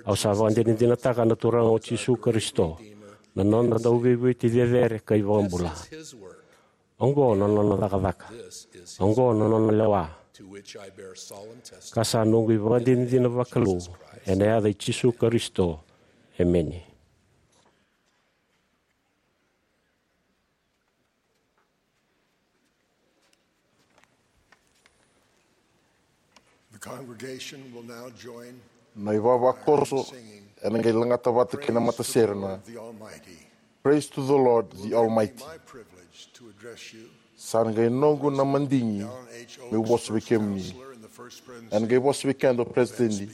Au sa vakadinadinataka na Turaga o Jisu Karisito, na noda Dauveivueti cecere ka iVakabula. Oqo na nona cakacaka. Oqo na nona lewa. Ka sa noqu ivakadinadina vakalou ena yaca i Jisu Karisito. Emeni. The congregation will now join Na ivavakoso ena qai lagata vata kei na matasere na Praise to the Lord, the Almighty. Sa na qai noqu na madigi meu vosa vei kemuni. Ena qai vosa vei keda o President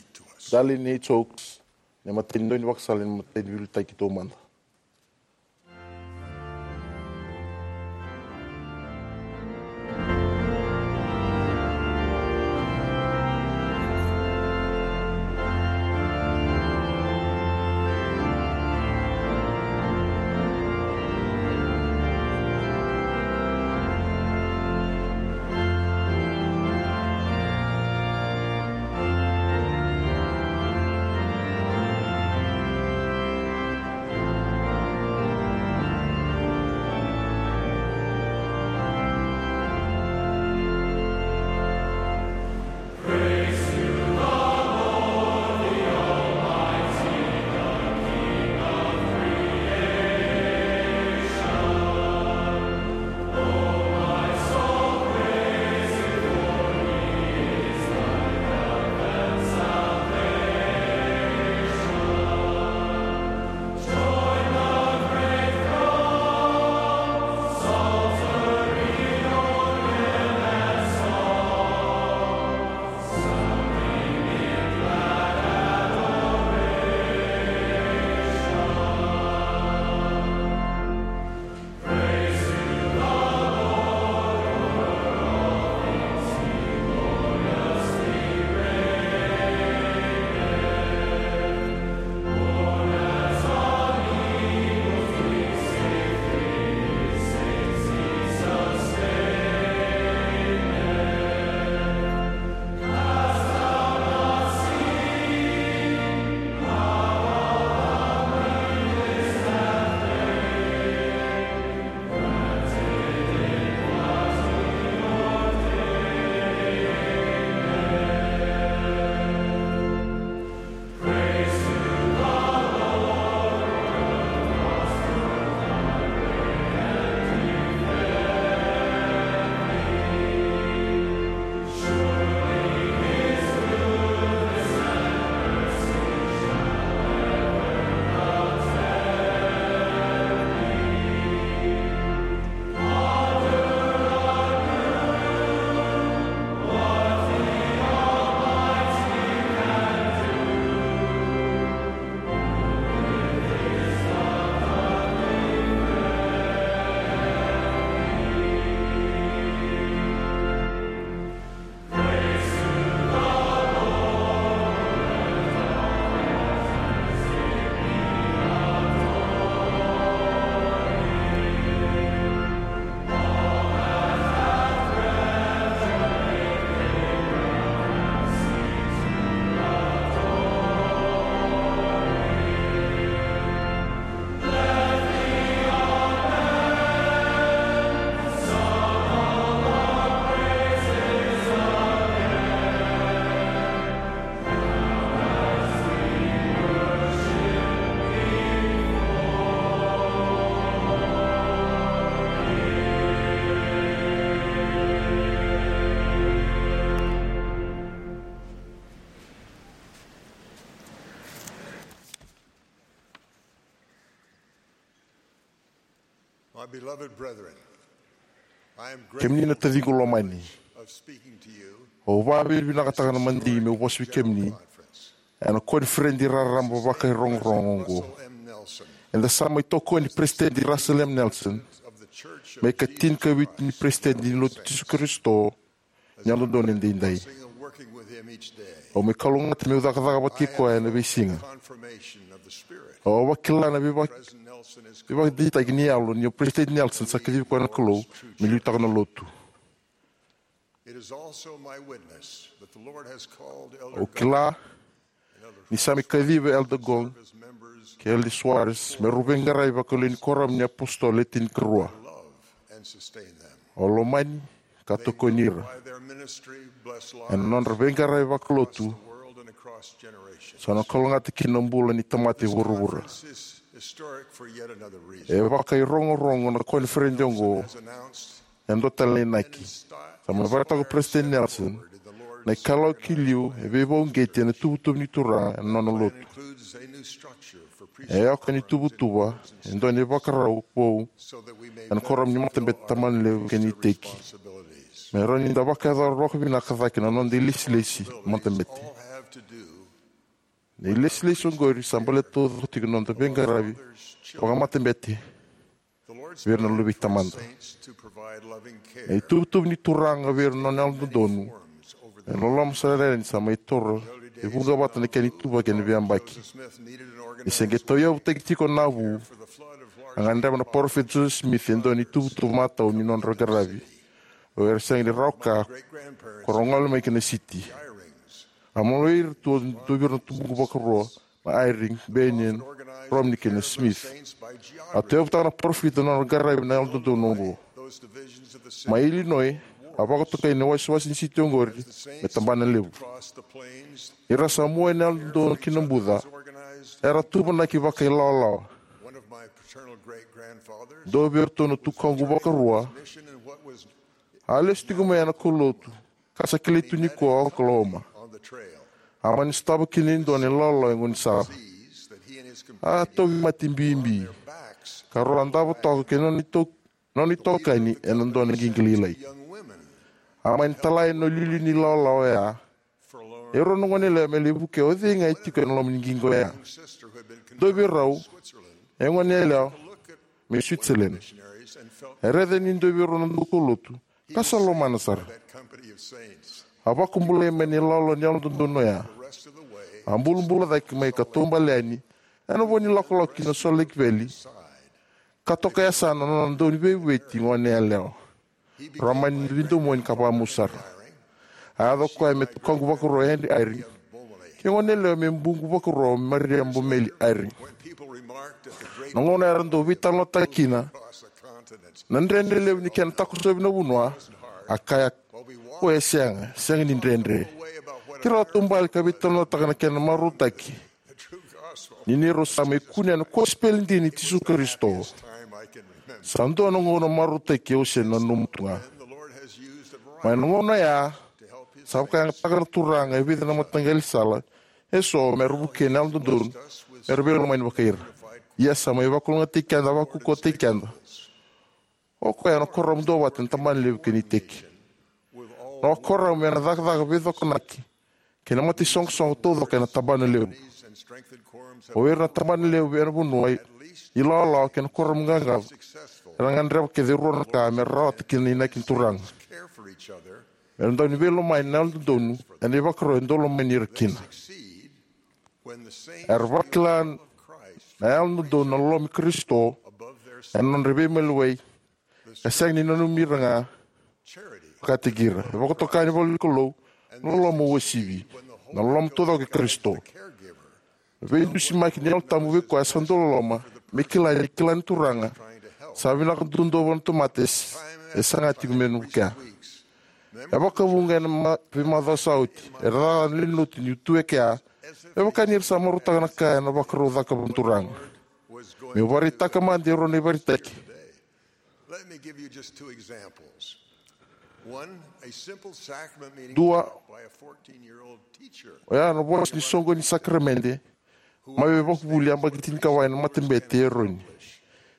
Dallin H. Oaks, na imatai ni daunivakasala ni Matai ni Veiliutaki Taumada. Beloved brethren, I am Kemuni na grateful taciqu lomani, of speaking to you au vakavinavinakataka na madigi meu vosa vei kemuni conference. Ena koniferedi raraba vakairogorogo oqo. Russell M. Nelson, Eda sa mai tokoni Peresitedi Russell M. Nelson of the Church of me ka Jesus tinikavitu ni Christ of Peresitedi ni Lotu Latter-day Jisu Karisito ni Yalododonu Edaidai. Blessing of working with him each day. Au mai kalougata meu cakacaka vata kei koya ena veisiga. Confirmation of the Spirit. Au vakila na veiva- President Nelson is veivakadeitaki ni yalo ni o Peresitedi Nelson sa kacivi koya na Kalou me liutaka na Lotu. It is also my witness that the Lord has called Elder Au kila ni sa mai kaciva Elder Gong kei Elder Soares me rau veiqaravi vakalewe ni Kuoramu ni iApositolo Le Tinikarua. Au lomani ka tokoni ira ena nodra veiqaravi vakalotu. Sa na kalougata kina na bula ni tamata e vuravura. E vakairogorogo na koniferedi oqo. E dua tale na inaki. Sa mai vakatoka Peresitedi Nelson, na ikalawa ki liu e veivauqeti ena tuvatuva ni Turaga ena nona lotu. E oka ni tuvatuva e dua na ivakarau vou ena Kuoramu ni Matabete, Tabanalevu kei na iteki, me rawa ni da vakayacora vakavinaka cake na noda ilesilesi matabete. Na ilesilesi oqori sa baleta taucoko tiko na noda veiqaravi vakamatabete vei ira na luve i Tamada. Na ituvatuva ni Turaga vei ira na nona yalododonu ena loloma sara yani sa mai toro e vuqa vata na kena ituvaki ena veiyabaki. Ni se qai tauyavutaki tiko na vu, a gadreva na Parofita Joseph Smith e dua na ituvatuva matau ni nodra qaravi o ira sega ni rawa ka ko rau gole mai ki na siti. A maloi ira tu e dua vei ira na tubuqu vakarua na Eyring, Bennion, Romney kei na Smith. A tauyavutaka na parofita na nodra qaravi na yalododonu oqo. Mai Illinois, a vakatokai na iwasewase ni siti oqori me Tabanalevu. Ni ra sa mua ena yalododonu ki na buca, era tuvanaki vakailawalawa. Dua vei iratou na tukaqu vakarua a lesu tiko mai ena kaulotu ka sa kilai tu nikua o Oklahoma. A mani sotava kina e dua na ilawalawa e gaunisala. A tauvimate bibi ka rau a davo toka kei na nona itou- nona itokani ena dua na qiqi lailai. A mani talai na iliuliu ni ilawalawa oya e rua na goneyalewa me lai vukea o cei ga e tiko ena loma ni qiqi oya. Dua vei rau e goneyalewa mai Switzerland. E raica ni dua vei rau na daukaulotu ka sa lomana sara. A vakabulai mai na ilawalawa ni yalododonu oya. A bulabula cake mai ka taubale yani ena vo ni lakolako ki na Salt Lake Valley ka toka e yasana na nona dauniveivueti goneyalewa. Rau a mani veidomoni ka vakamau sara. A yaco o koya me tukaqu vakarua o Henry Eyring kei goneyalewa me buqu vakarua o Maria Bomeli Eyring. Na gauna era dau veitalanoataka kina na dredre levu ni kena takosovi na vanua, a kaya, "Ko e sega, sega ni dredre." Keirau a taubale ka veitalanoataka na kena marautaki ni neirau sa mai kunea na kosipeli dina i Jisu Karisito. Sa dua na gauna marautaki au se nanuma tu ga. Mai na gauna oya, sa vakayagataka na Turaga e vica na mataqali sala eso me ra vukea na yalododonu me ra veilomani vakai ira. Ia sa mai vakalougatataki keda, vakaukauwataki keda. O koya na kuoramu duavata ena Tabanalevu kei na iteki. Na kuoramu ena cakacaka veicokonaki kei na mataisoqosoqo taucoko ena Tabanalevu. O ira na Tabanalevu ena vanua, ilawalawa kei na kuoramu qaqaco era gadreva kece e rua na ka me ra rawata kina na inaki ni Turaga. Era dau ni veilomani na yalododonu ena ivakaro e dau lomani ira kina. Era vakila na yalododonu na loloma i Karisito ena nodra veimaliwai ka sega ni nanumi ira ga vakataki ira. E vakatoka na ivolanikalou na loloma uasivi, na loloma taucoko i Karisito. Na veidusimaki ni Yalo Tabu vei koya sa dau loloma me kila ni kila na Turaga sa vinaka duadua vua na tamata e saga tiko me na vukea. E vakavuqa ena ma- veimacawa sa oti era cakacaka na lewe ni lotu niu tu e kea. Me vaka ni ra sa marautaka na ka ena vakarau cakava na Turaga. Meu vakaraitaka mada e rua na ivakaraitaki. Let me give you just two examples. One, a simple sacrament meeting Dua, by a fourteen-year-old teacher. Oya na vosa ni soqo ni sakaramede mai vei vakavuli yabaki tinikava ena matabete i Eroni.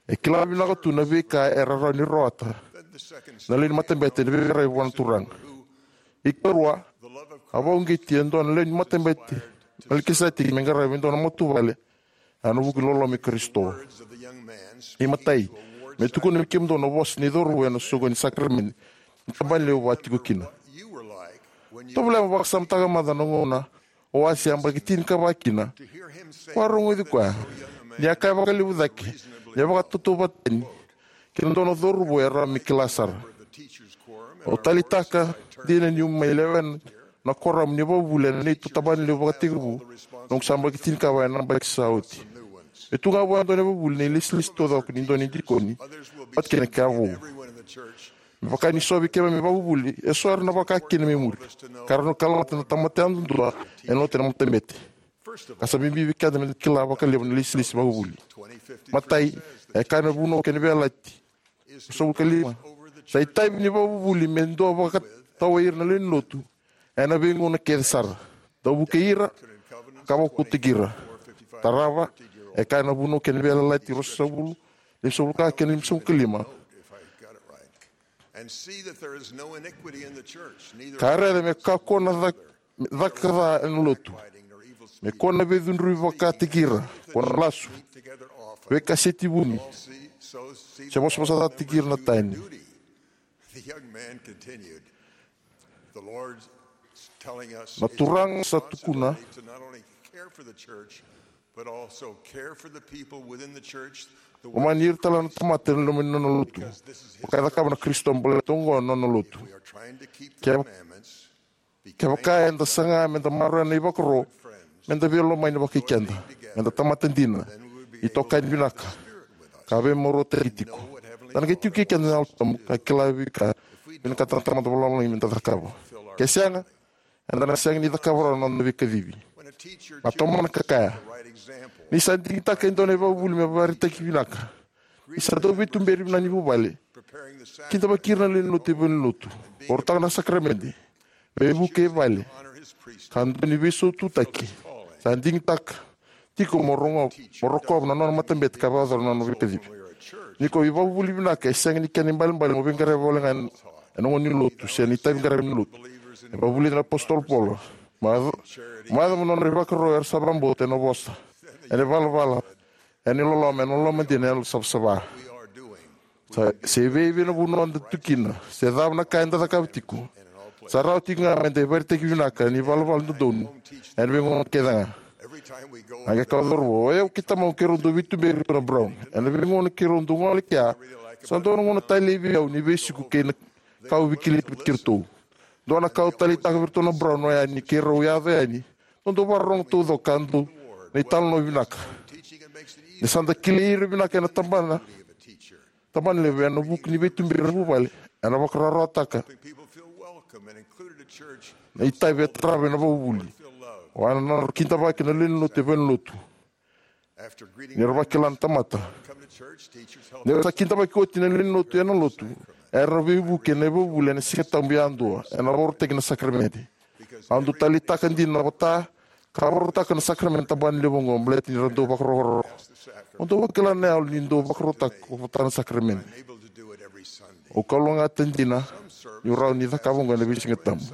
E kila vinaka tu na veika era rawa ni rawata na lewe ni matabete ni veiqaravi vua na Turaga. Ikarua, a vakauqeti e dua na lewe ni matabete Melikiseteki me qaravi e dua na matavuvale ena vuku ni loloma i Karisito. Imatai, me tukuna vei kemudou na vosa ni cauravou ena soqoni ni sakaramede ni tabana levu a tiko kina. Tovolea mo vakasamataka mada na gauna o a se yabaki tinikava kina. Vakarogoci koya ni a kaya vakalevu cake ni a vakatautauvatatani kei na dua na cauravou e rawa me kila sara. Au taleitaka dina niu mai lewena na koramu ni vakavuvuli ena neitou tabana levu vakatekivu, noqu sa yabaki tinikava ena yabaki sa oti. Me tu ga vua e dua na ivakavuvuli na ilesilesi taucoko ni dua na idikoni vata kei na kena vou. Me vaka ni so vei keimami ivakavuvuli, eso era na vaka kina me muri, ka ra na kalougata na tamata yadudua ena lotu ena matabete. Ka sa bibi vei keda meda kila vakalevu na ilesilesi vakavuvuli. Matai, e kaya na Vunau kei na Veiyalayalati ruasagavulu ka lima, sa itavi ni ivakavuvuli me dua vakatawa ira na lewe ni lotu ena veigauna kece sara, dau vukei ira ka vakaukauwataki ira. Tarava, e kaya na Vunau kei na Veiyalayalati ruasagavulu, limasagavulu ka kena limasagavulu ka lima. And see that there is no iniquity in the church, neither Ka raica me kakua na cak- caka ca ena lotu. Me kua na veicudruvi vakataki ira, kua na lasu, veikaseti vuni, se vosavosataki ira na tani. The young man continued, the Lord telling us Na Turaga sa tukuna, to not only care for the church, but also care for the people within the church. The lomani ira tale na tamata ena loma ni nona lotu. Vaka e cakava na Karisito baleta oqo na nona lotu. We are trying to keep the Kevaka commandments. Kevaka eda saga meda maroroya na ivakaro, meda veilomani vakai keda, meda tamata dina, itokani vinaka, ka veimarautaki tiko. Da na qai tiko kei keda na Yalo Tabu ka kila vei ka vinakata na Tamada Vakalomalagi meda cakava. Ke sega, eda na sega ni cakava rawa na noda veikacivi. Na tomana ka kaya, ni sa digitaka e dua na ivakavuvuli me vakaraitaki vinaka, ni sa dau veituberi vinaka ni vuvale, kidavaki ira na lewe ni lotu e valenilotu, varautaka na sakaramede, veivuke e vale, ka dua ni veisaututaki, sa digitaka tiko mo rogo- mo rokova na nona matabete ka vakayacora na nona veikacivi. Ni ko ivakavuvuli vinaka e sega ni kena ibalebale mo veiqaravi wale ga ena gauna ni lotu se na itavi qaravi ni lotu. E vakavulica na apositolo Paula, maca- maca mo nodra ivakaro era sa vakabauta ena vosa, ena ivalavala, ena iloloma, ena loloma dina, ena savasava. Sa- se vei- vei na vanua eda tu kina, se cava na ka eda cakava tiko, sa rawa tiko ga meda ivakaraitaki vinaka ni valavala dodonu ena veigauna kece ga. A qai kaya o cauravou, o yau kei tamaqu keirau dau veituberi tu na Brown. Ena veigauna keirau dau gole kea, sa dua na gauna talei vei au ni veisiko kei na ka au veikilai vei keitou. Dua na ka au taleitaka vei iratou na Brown oya ni keirau yaco yani, dau vakarorogo taucoko ka dau na italanoa vinaka. Ni sa da kilai ira vinaka ena tabana, tabana levu ena vuku ni veituberi ena vuvale, ena vakarawarawataka na itavi e tarava ena vakavuvuli. O ya na nodra kidavaki na lewe ni lotu e valenilotu. Ni ra vakila na tamata. Ni ra sa kidavaki oti na lewe ni lotu ena lotu, era veivuke ena ivakavuvuli ena Siga Tabu yadua, ena vakarautaki na sakaramede. Au dau taleitaka dina na vata ka vakarautaka na sakaramede ena tabana levu oqo baleta ni ra dau vakarokoroko. Au dau vakila na yalo ni dau vakarautaka vata na sakaramede. Au kalougata dina niu rawa ni cakava oqo ena veisiga tabu.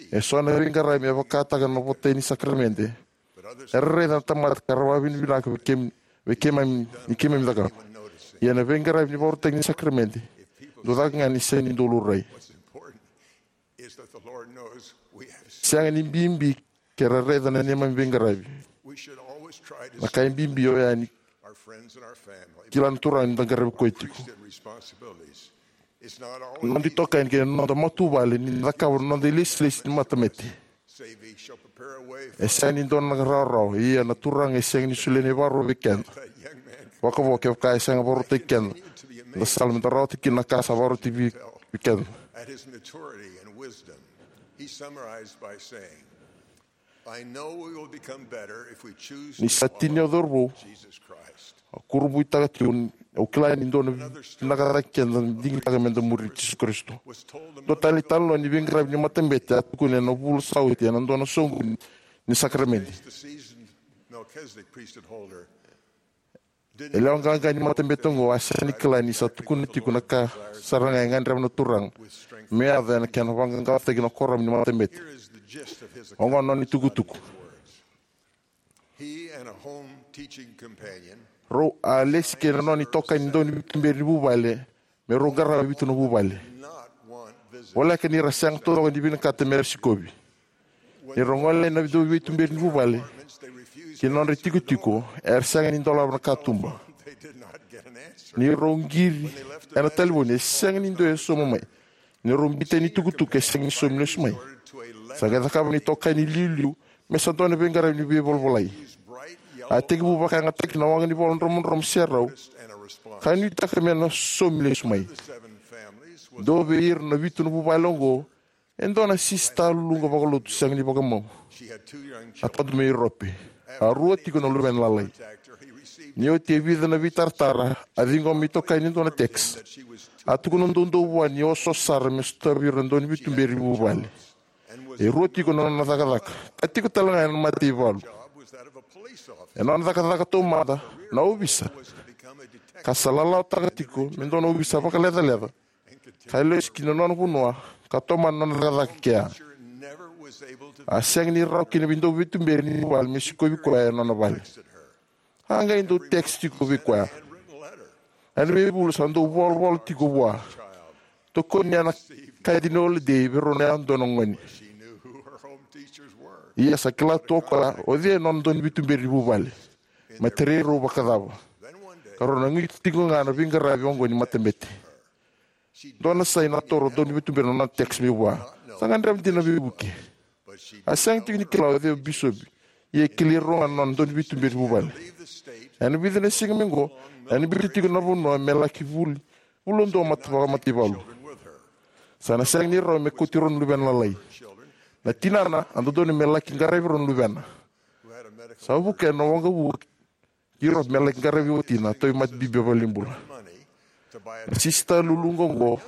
Eso na veiqaravi me vakataka na votai ni sakaramede era raica na tamata ka ra vakavinavinaka vei keim- vei keimami ni keimami cakava. Ia na veiqaravi ni vakarautaki ni sakaramede, dau caka ga ni sega ni dau laurai. Sega ni bibi ke ra raica na neimami veiqaravi. Na ka e bibi oya ni kila na Turaga ni da qaravi koya tiko. Na noda itokani kei na noda matavuvale ni da cakava na noda ilesilesi ni matabete. E sega ni dua na rawarawa, ia na Turaga e sega ni solia na ivakaro vei keda vakavo kevaka e sega vakarautaki keda na sala meda rawata kina na ka sa vakarautaki vei- vei keda. At his maturity and wisdom, he summarized by saying, I know we will become better if we choose Ni to sa tini au follow cauravou, Jesus Christ. Au kurabuitaka tiko ni au kila ni dua na vinaka cake keda na digitaka meda muri Jisu Karisito. Dua tale na italanoa ni veiqaravi ni matabete a tukuni ena vula sa oti ena dua na soqoni ni sakaramede. Faced the seasoned Melchizedek priesthood holder. E lewa qaqa ni matabete oqo a sega ni kila ni sa tukuna tiko na ka sara ga e gadreva na Turaga me yaco ena kena vaqaqacotaki na kuoramu ni matabete. Oqo na nona itukutuku. He and a home teaching companion Rau a lesi kei na nona itokani dau ni veituberi ni vuvale me rau qarava e vitu na vuvale. Voleka ni ra sega taucoko ni vinakata me ra sikovi. Ni rau gole na dau veituberi ni vuvale ki na nodra itikotiko, era sega ni dolava na katuba. Ni rau qiri ena talevoni, e sega ni dua e sauma mai. Ni rau biuta na itukutuku, e sega ni saumi lesu mai. Sa qai cakava na itokani iliuliu me sa dua na veiqaravi ni veivolavolai. A tekivu vakayagataki na waqa ni vola dromodromo serau, ka nuitaka me na saumi lesu mai. Dua vei ira na vitu na vuvale oqo e dua na sisita luluqa vakalotu sega ni vakamau, a tadu mai Iurope. A rua tiko na luvena lalai. Ni oti e vica na veitaratara, a ciqoma me itokani e dua na text. A tukuna doudou vua ni osooso sara me sotavi ira na dau ni veituberi ni vuvale. E rua tiko na nona cakacaka, ka tiko tale ga ena mataivalu. E nona cakacaka taumada na ovisa, ka sa lalawataka tiko me dua na ovisa vakalecaleca, ka lesu ki na nona vanua ka tomana na nona cakacaka kea. A sega ni rawa kina vei dau veituberi ni vuvale me sikovi koya ena nona vale. A qai dau text tiko vei koya. Ena veivula sa dau volavola tiko vua, tokoni ena kaci ni holiday vei rau na yadua na gone. Ia sa kila tu o koya o cei e nona dau ni veituberi ni vuvale, me tarai rau vakacava. Ka rau na qito tiko ga na veiqaravi oqo ni matabete. Dua na sai na toro dau ni veituberi na nona text mai vua. Sa gadreva dina na veivuke. A sega tiko ni kila o cei o bisopi, ia e kilai rau ga na nona dau ni veituberi ni vuvale. Ena vica na siga mai qo, ena biuta tiko na vanua me laki vuli, vuli dua mata vakamataivalu. Sa na sega ni rawa me kauti rau na luvena lalai. Na tinana a dodonu me laki qaravi rau na luvena. Sa vuka ena waqavuka ki Iurope me laki qaravi watina, tauvimate bibi e valenibula. Na sisita luluqa oqo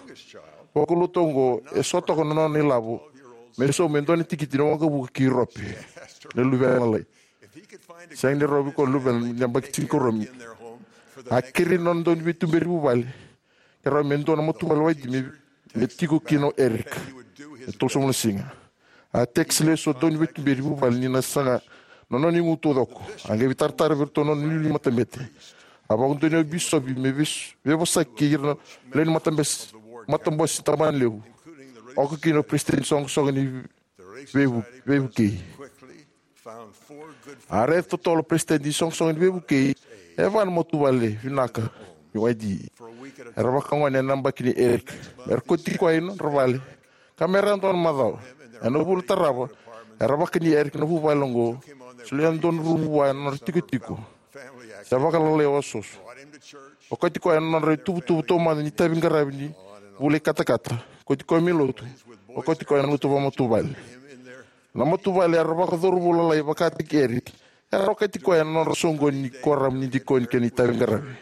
vakalotu oqo e so toka na nona ilavo me sauma e dua na tikiti ni waqavuka ki Iurope. Na luvena lalai. Sega ni rawa vei koya na luvena ni yabaki tinikarua. A kerei na nona dau ni veituberi ni vuvale ke rawa me dua na matavuvale waititi me, me tiko kina o Eric e tolusagavulu na siga. A text lesu o dau ni veituberi ni vuvale ni na saga na nona igu taucoko. A qai veitaratara vei iratou na nona iliuliu ni matabete. A vakadonui o bisopi me veis-, veivosaki kei ira na lewe ni matabes-, matabose ni tabana levu, oka kina o peresitedi ni soqosoqo ni veivu-, veivukei. A raica totolo o peresitedi ni soqosoqo ni veivukei e va na matavuvale vinaka ni Y D E. Era vakagone ena yabaki nei Eric. Era kauti koya i nodra vale ka me ra dua na macawa. Ena vula tarava era vakani Eric na vuvale oqo, solia dua na rumu vua ena nodra tikotiko. Se vakalalai osooso. Okati koya ena nodra ituvatuva taumada ni itaviqaravi ni vula ikatakata. Okati koya mai lotu. Okati koya ena lotu vakamatavuvale. Na matavuvale era vakacauravou lalai vakataki Eric era okati koya ena nodra soqoni ni kuoramu ni dikoni kei na itaviqaravi.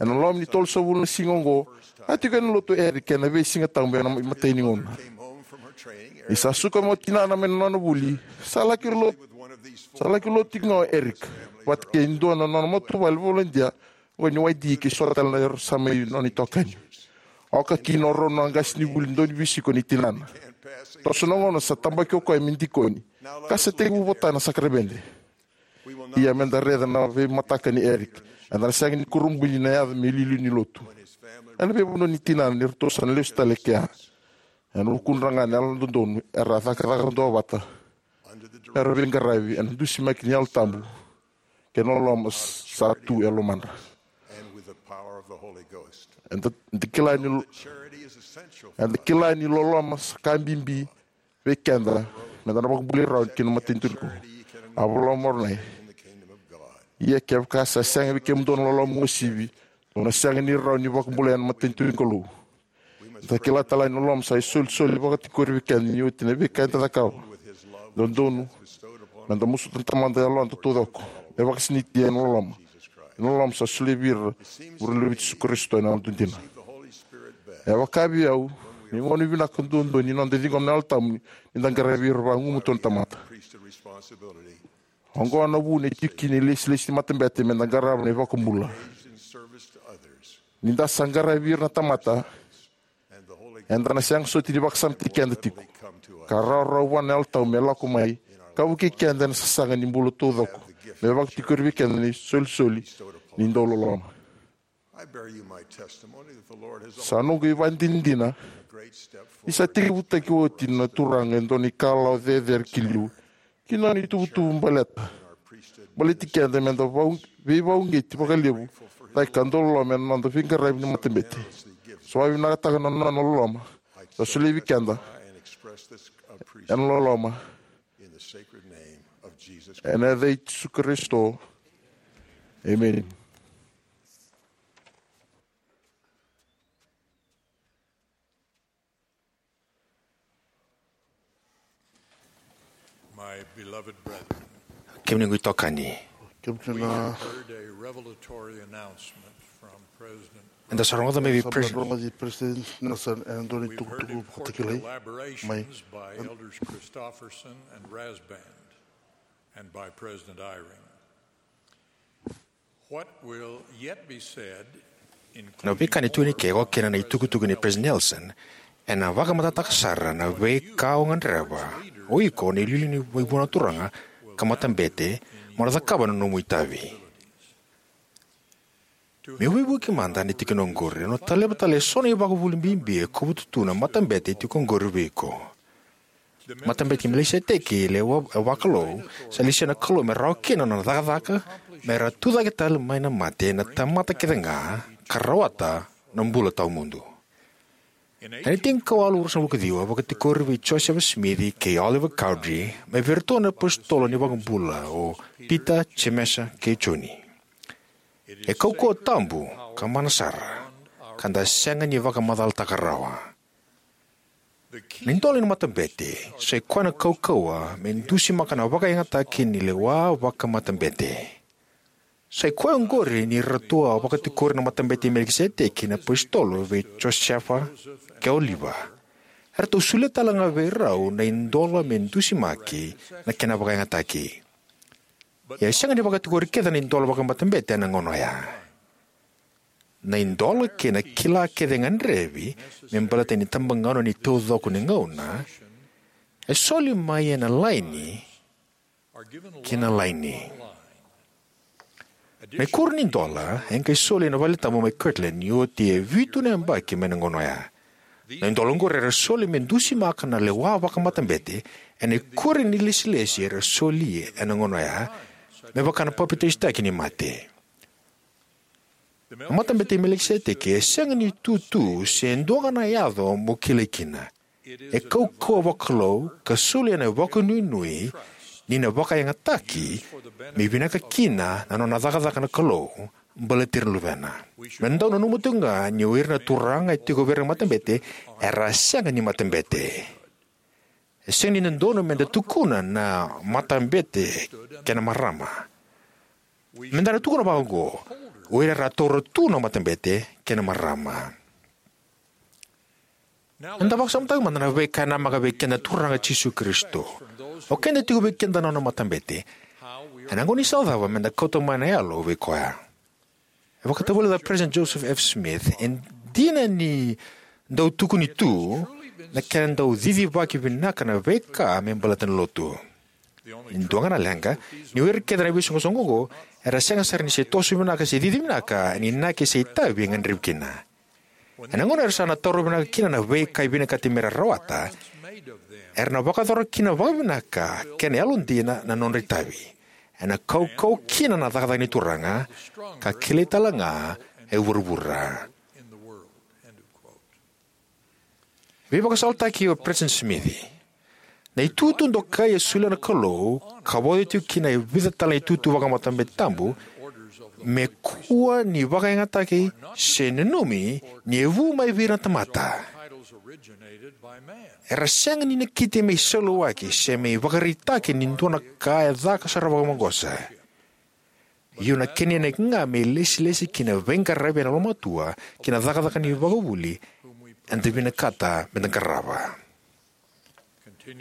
Ena loma ni tolusagavulu na siga oqo a tiko ena lotu o Eric ena veisiga tabu ena imatai ni gauna. Ni sa suka mai o tinana mai na nona vuli, sa laki lotu, sa laki lotu tiko ga o Eric vata kei dua na nona matavuvale volodia oqo ni Y D E kei so tale na era sa mai nona itokani. Oka kina o rau na qasenivuli dau ni veisiko nei tinana. Toso na gauna sa tabaki o koya me dikoni ka sa tekivu vota na sakaramede. Ia meda raica na veimataka nei Eric. Eda na sega ni kurabui ni na yaco me iliuliu ni lotu. Ena veivanua ni tinana ni ratou sa na lesu tale kea. Ena vukudra ga na yalododonu era cakacaka duavata. Era veiqaravi ena dusimaki ni Yalo Tabu kei na loloma sa tu e lomadra. Eda, eda kila ni, eda kila ni loloma sa ka bibi vei keda meda na vakabulai rawa kina matanitu nikua. A vola o Moronai, ia kevaka sa sega vei kemudou na loloma uasivi, dou na sega ni rawa ni vakabulai ena matanitu ni Kalou. Eda kila tale ni loloma sa isolisoli vakatikori vei keda ni oti na veika eda cakava. Dodonu meda musuta na Tamada yaloda taucoko me vakasinaiti ena loloma. Na loloma sa solia vei ira na luve i Jisu Karisito ena yaloda dina. E vaka vei au, ni gauna vinaka duadua ni noda ciqoma na Yalo Tabu ni da qaravi ira vagumatua na tamata. Oqo na vuna e tiko kina na ilesilesi ni matabete, me da qarava na iVakabula. Ni da sa qaravi ira na tamata, eda na sega soti ni vakasamataki keda tiko, ka rawarawa vua na Yalo Tabu me lako mai ka vukei keda ena sasaga ni bula taucoko, me vakatikori vei keda na isolisoli ni dauloloma. Sa noqu ivakadinadina ni sa tekivutaki oti na Turaga e dua na ikalawa cecere ki liu ki na nona ituvatuva baleta, baleti keda me da vau-, veivakauqeti vakalevu cake ka dauloloma ena noda veiqaravi ni matabete. Sa vakavinavinakataka na nona loloma sa solia vei keda ena loloma. Ena yaca i Jisu Karisito. Emeni. My beloved brethren, kemuni qu itokani, kemuni na heard a revelatory announcement from President eda sa rogoca mai vei President Nelson ena dua na itukutuku vakatakilai mai by Elders Christofferson and Rasband and by President Eyring. What will yet be said, na veika ni tukuni ke, oka kina na itukutuku ni President Nelson, ena vakamatatataka sara na veika o gadreva o iko na iliuliu ni veivanua turaga ka matabete mo na cakava na nomu itavi. Meu veivuke mada ena tikina oqori, au na taleva tale eso na ivakavuvuli bibi e kovuta tu na matabete e tiko oqori vei iko. Matabete i Melikiseteki, lewa vakalou, sa lesia na Kalou me rawa kina na nona cakacaka me ra tucake tale mai na mate na tamata kece ga ka rawata na bula tawamudu. Ena tinikawalu ruasagavulu ka ciwa, vakatikori vei Josefa Simici kei Oliver Cowdery mai vei iratou na apositolo ni vakabula o Pita, Jemesa kei Joni. E kaukauwa tabu ka mana sara ka da sega ni vakamacalataka rawa. Na idola ni matabete sa i koya na kaukauwa me dusimaka na vakayagataki ni lewa vakamatabete. Sa i koya oqori ni ratou a vakatikori na matabete i Melikiseteki na apositolo vei Josefa kei Oliver. Eratou solia tale ga vei rau na idola me dusimaki na kena vakayagataki. Ia e sega ni vakatikori kece na idola vakamatabete ena gauna oya. Na idola kei na kila kece e gadrevi me baleta na itabagauna ni taucoko ni gauna e soli mai ena laini ki na laini. Na ikoro ni idola e qai soli ena valetabu mai Kirtland ni oti e vitu na yabaki mai na gauna oya. Na idola oqori era soli me dusimaka na lewa vakamatabete ena ikoro ni ilesilesi era soli ena gauna oya, me vaka na papitaisotaki ni mate. Na matabete i Melikiseteki e sega ni tutu se dua ga na yaco mo kilai kina. E kaukauwa vakalou ka soli ena vakanuinui ni na vakayagataki me vinaka kina na nona cakacaka na Kalou baleti ira na luvena. Me da dau nanuma tiko ga ni o ira na turaga e tiko vei ira na matabete era sega ni matabete. E sega ni dodonu me da tukuna na matabete kei na marama. Me da na tukuna vakaoqo: O ira era taura tu na matabete kei na marama. Eda vakasamataka mada na veika e namaka vei keda na Turaga Jisu Karisito. O keda tiko vei keda na nona matabete. Ena gauna ni sawa cava me da kauta mai na yalo vei koya? E vakatavulica o President Joseph F. Smith, e dina ni dau tukuni tu na kena dau cicivaki vinaka na veika me baleta na lotu. E dua ga na leqa, ni o ira kece na veisoqosoqo oqo era sega sara ni se toso vinaka se cici vinaka ena inaki se itavi e gadrevi kina. Ena gauna era sa na taura vinaka kina na veika e vinakati me ra rawata, era na vakayacora kina vakavinaka kei na yalodina na nodra itavi. Ena kaukauwa kina na cakacaka ni Turaga, ka kilai tale ga e vuravura. Veivakasalataki o President Smith. Na itutu dokai e solia na Kalou ka vauci tiko kina e vica tale na itutu vakamatabete tabu me kua ni vakayagataki se nanumi ni e vu mai vei ira na tamata. Era sega ni nakiti me isolawaki se me ivakaraitaki ni dua na ka e caka sara vakamaqosa. Ia na kena inaki ga me ilesilesi ki na veiqaravi ena lomatua kei na cakacaka ni vakavuvuli eda vinakata me da qarava.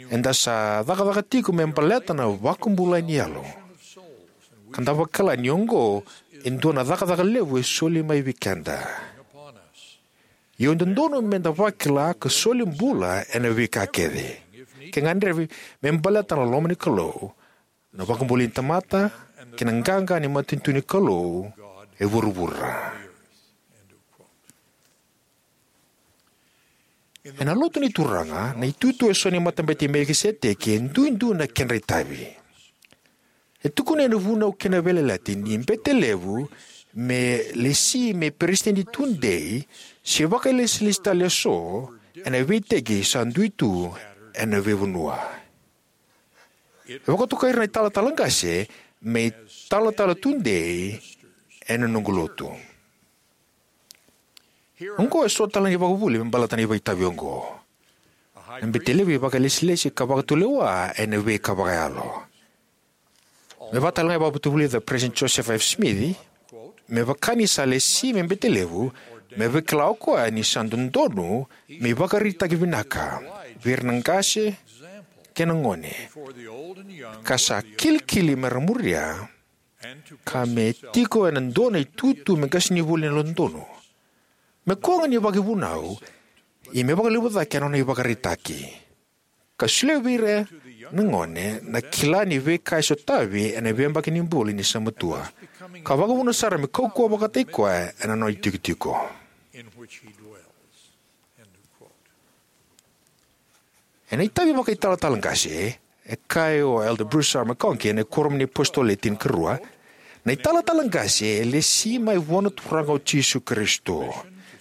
Eda sa cakacaka tiko me baleta na vakabulai ni yalo. ka da vakila ni oqo e dua na cakacaka levu e soli mai vei keda. Ia e dodonu me da vakila ka soli bula ena veika kece, ke gadrevi, me baleta na loma ni Kalou, na vakabulai ni tamata, kei na qaqa ni matanitu ni Kalou e vuravura. Ena Lotu ni Turaga, na itutu eso ni Matabete i Melikiseteki e duidui na kedra itavi. E tukuna ena Vunau kei na Veiyalayalati ni bete levu me lesi me peresitedi tudei, se vakailesilesi tale eso ena veiteki sa dui tu ena veivanua. E vakatokai ira na italatala qase me italatala tudei ena noqu lotu. Oqo e so tale na ivakavuvuli me baleta na itavi oqo. Na bete levu e vakailesilesi ka vakatulewa ena veika vakayalo. Me vaka tale ga e vakavutavulica o President Joseph F. Smith, me vaka ni sa lesi me bete levu, me vakila o koya ni sa dodonu me ivakaraitaki vinaka vei ira na qase kei na gone, ka sa kilikili me ra muria, ka me tiko ena dua na itutu me qasenivuli ena yalododonu, me koya ga ni vakavunau, ia me vakalevu cake ena nona ivakaraitaki, ka solia vei ira na gone na kila ni veika e sotavi ena veiyabaki ni bula ni sa matua, ka vakavuna sara me kaukauwa vakataki koya ena nona itikotiko. Ena itavi vakaitalatala qase, e kaya o Elder Bruce R. McConkie ena Kuoramu ni iApositolo Le Tinikarua, na italatala qase e lesi mai vua na Turaga o Jisu Karisito.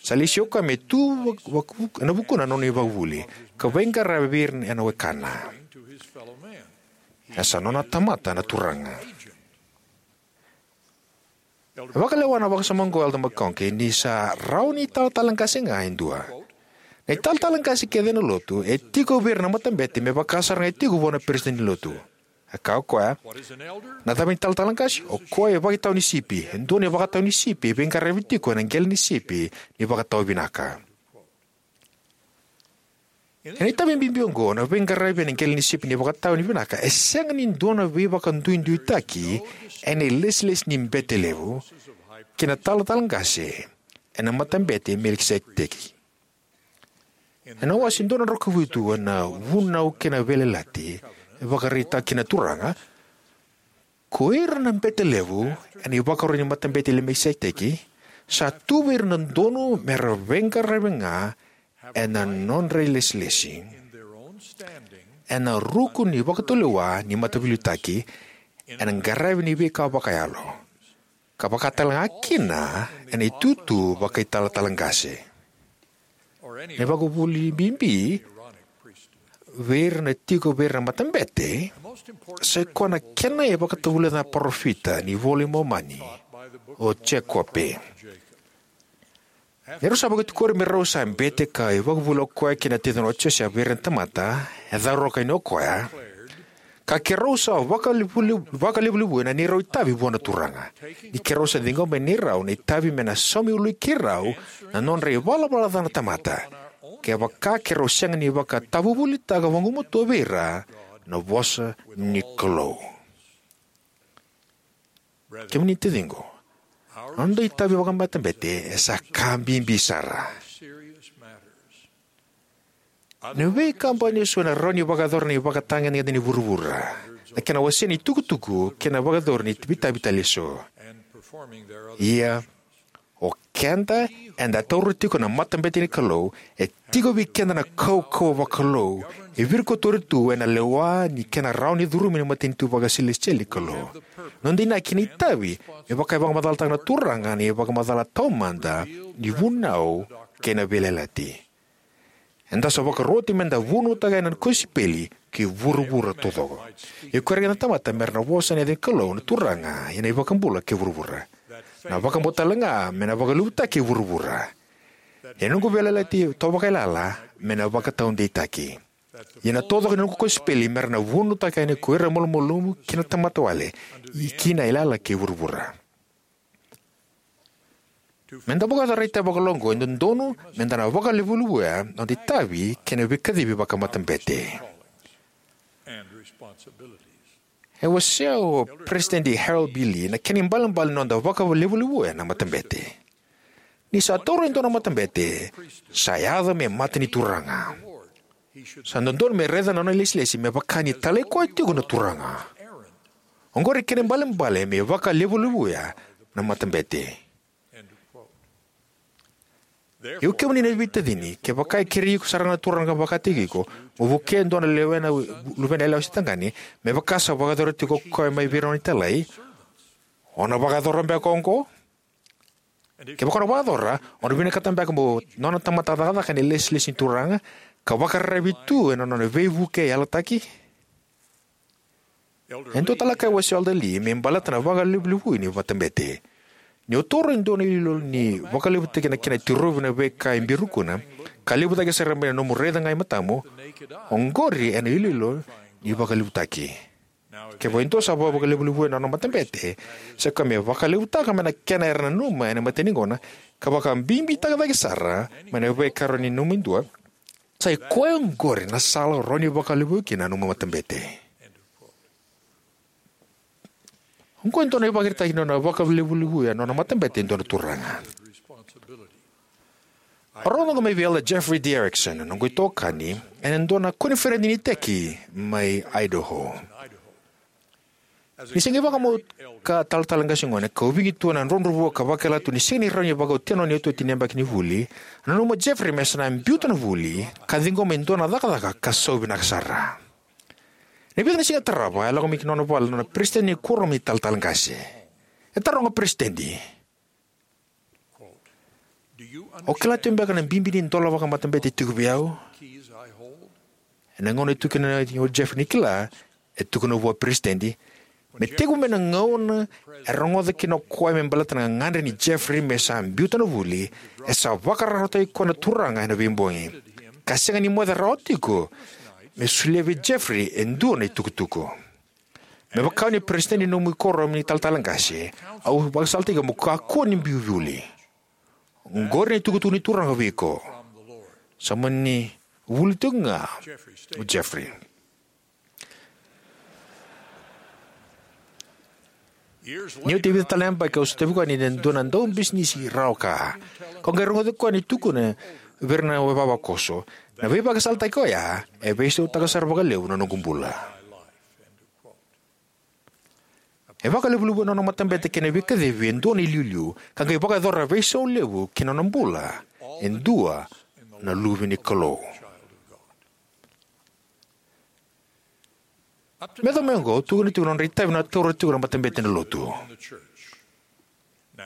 Sa lesi o koya me tu vak-, vak-, ena vukuna na nona ivakavuvuli, ka veiqaravi vei ira na wekana. E sa nona tamata na Turaga. E vakalewa na vakasama oqo o Elder McConkie ni sa rawa ni italatala qase ga e dua. Na italatala qase kece ena lotu e tiko vei ira na matabete me vaka sara ga e tiko vua na peresitedi ni lotu. E kaya o koya, na cava na italatala qase? O koya e ivakatawa ni sipi, e dua na ivakatawa ni sipi e veiqaravi tiko ena qele ni sipi ni vakatawa vinaka. Ena itavi bibi oqo, na veiqaravi ena qele ni sipi ni vakatawa ni vinaka e sega ni dua na veivakaduiduitaki ena ilesilesi ni bete levu kei na italatala qase ena Matabete i Melikiseteki. Ena wase dua na drau ka vitu ena Vunau kei na Veiyalayalati, e vakaraitaka kina na Turaga, ko ira na bete levu ena ivakaro ni Matabete i Melikiseteki, sa tu vei ira na dodonu me ra veiqaravi ga ena nodra ilesilesi, ena ruku ni vakatulewa ni mataveiliutaki, ena qaravi ni veika vakayalo, ka vaka tale ga kina ena itutu vakaitalatala qase. Na ivakavuvuli bibi vei ira na tiko vei ira na matabete, sai koya na kena e vakatavulica na parofita ni iVola i Momani, o Jekope. Ni rau sa vakatikori me rau sa bete ka ivakavuvuli o koya kei na ticina o Josefa vei ira na tamata, e cauravou yani o koya, ka keirau sa vakalevulevu, vakalevulevu ena neirau itavi vua na Turaga. Ni keirau sa ciqoma ena neirau na itavi me na saumi ului keirau na nodra ivalavala ca na tamata, kevaka keirau sega ni vakatavuvulitaka vagumatua vei ira na vosa ni Kalou. Kemuni taciqu, na noda itavi vakamatabete e sa ka bibi sara. Na veikabani eso ena rawa ni vakayacora na ivakatagedegede ni vuravura, na kena wasei na itukutuku kei na vakayacori ni itavi tale eso. Ia, o keda eda taura tiko na matabete ni Kalou, e tiko vei keda na kaukauwa vakalou e virikotori tu ena lewa ni kena rawa ni curumi na matanitu vakasilesitieli ni Kalou. Noda inaki ni itavi me vaka e vakamacalataka na Turaga ena ivakamacala taumada ni Vunau kei na Veiyalayalati. Eda sa vakaroti me da vunautaka yani na kosipeli ki vuravura taucoko. Ia ko ira na tamata me ra na vosa ena yaca ni Kalou na Turaga ena iVakabula kei vuravura. Na vakabauta talega me na vakalevutaki e vuravura. Ena noqu veiyalayalati tawavakaiyalayala me na vakataudeitaki. Ia na taucoko ni noqu kosipeli me ra na vunautaka yani ko ira malumalumu kei na tamata wale, kina yalayala kei vuravura. Me da vakayacora na itavi vakalou oqo e dodonu me da na vakalevulevuya na noda itavi kei na veikacivi vakamatabete. E wasea o Peresitedi Harold B. Lee na kena ibalebale ni noda vakalevulevuya na matabete. Ni sa taura e dua na matabete, sa yaco me mata ni Turaga. Sa dodonu me raica na nona ilesilesi me vaka ni talai koya tiko na Turaga. Oqori kena ibalebale me vakalevulevuya na matabete. Ia kemuni na veitacini, kevaka e kerei iko sara ga na Turaga vakataki iko mo vukea e dua na luvena yalewa se tagane, me vaka sa vakayacora tiko o koya mai vei ira na nona italai, o na vakayacora beka oqo? Kevaka o na vakayacora, o na vinakata beka mo nona tamata cakacaka ena ilesilesi ni Turaga ka vakararavi tu ena nona veivukei yalataki? E dua tale na ka e wasea o Elder Lee me baleta na vakalevulevuya ni matabete. Ni o taura e dua na iloilo ni vakalevutaki na kena tirovi na veika e biu rukuna, ka levu cake sara mai na nomu raica ga e matamu, oqori ena iloilo ni vakalevutaki. Kevaka e dua sa vakalevulevuya na nona matabete, sa koya me vakalevutaka mai na kena era nanuma ena imatai ni gauna, ka vakabibitaka cake sara mai na veika e rawa ni nanuma e dua, sa i koya oqori na sala o rawa ni vakalevulevu kina na nomu matabete. Oqo e dua na ivakaraitaki ni nona vakalevulevuya na nona matabete e dua na turaga. Au rogoca mai vei Elder Jeffrey D. Erickson, na noqu itokani, ena dua na koniferedi ni iteki mai Idaho. Ni se qai vakamau ka talatala qase gone, kau vigi tu ena drodrovua ka vakila tu ni sega ni rawa ni vakaotia na nona iotioti ni yabaki ni vuli. A nanuma o Jeffrey me sa na biuta na vuli ka ciqoma e dua na cakacaka ka sau vinaka sara. Ena vica na siga tarava, e lako mai ki nona vale na nona peresitedi ni kuoramu ni talatala qase. E taroga o peresitedi, "O kila tiko beka na bibi ni dola vakamatabete e tiko vei au?" Ena gauna e tukuna o Jeffrey ni kila, e tukuna vua o peresitedi, me tekivu mai na gauna e rogoca kina o koya me baleta na gagadre nei Jeffrey me sa biuta na vuli, e sa vakararawataki koya na Turaga ena veibogi, ka sega ni moce rawa tiko me solia vei Jeffrey e dua na itukutuku. Me vaka ni peresitedi ni nomu kuoramu ni talatala qase, au vakasalataki iko mo kakua ni biu vuli. Oqori na itukutuku ni Turaga vei iko. Sa mani vuli tiko ga o Jeffrey. Ni oti e vica tale na yabaki, au sotavi koya ni dua na daubisinisi rawa ka. Kau qai rogoci koya ni tukuna vei ira na ivavakoso, na veivakasalataki oya e veisautaka sara vakalevu na noqu bula. E vakalevulevu ena nona matabete kei na veikacivi e dua na iliuliu, ka qai vakayacora veisau levu ki na nona bula e dua na luve ni Kalou. Me yacova mai oqo, au tukuna tiko na nodra itavi na taura tiko na matabete ena lotu.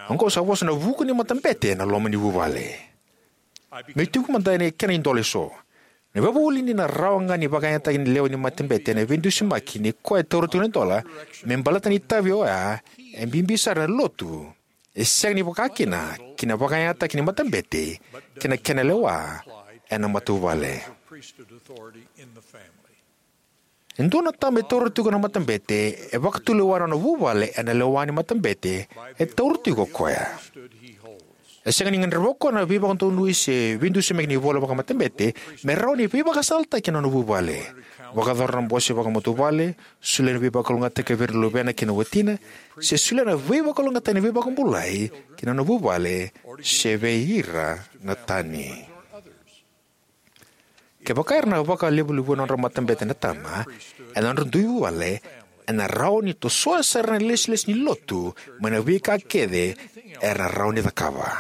Oqo sa vosa ena vuku ni matabete ena loma ni vuvale. Meu tiko mada ena kena idola eso. Na veivakavuvuli ni na rawa ga ni vakayagataki na lewe ni matabete ena veidusimaki ni koya e taura tiko na idola me baleta na itavi oya e bibi sara ena lotu, e sega ni vaka kina ki na vakayagataki ni matabete kei na kena lewa ena matavuvale. E dua na tama e taura tiko na matabete e vakatulewa na nona vuvale ena lewa ni matabete e taura tiko o koya. E sega ni gadreva o koya na veivakadonui se veidusimaki ni ivola vakamatabete me rawa ni veivakasalataki ena nona vuvale, vakayacora na bose vakamatavuvale, solia na veivakalougatataki vei ira na luvena kei na watina, se solia na veivakalougatataki ni veivakabulai ki na nona vuvale se vei ira na tani. Kevaka era na vakalevulevu ena nodra matabete na tama ena nodra dui vuvale, ena rawa ni tosoya sara na ilesilesi ni lotu mai na veika kece era na rawa ni cakava.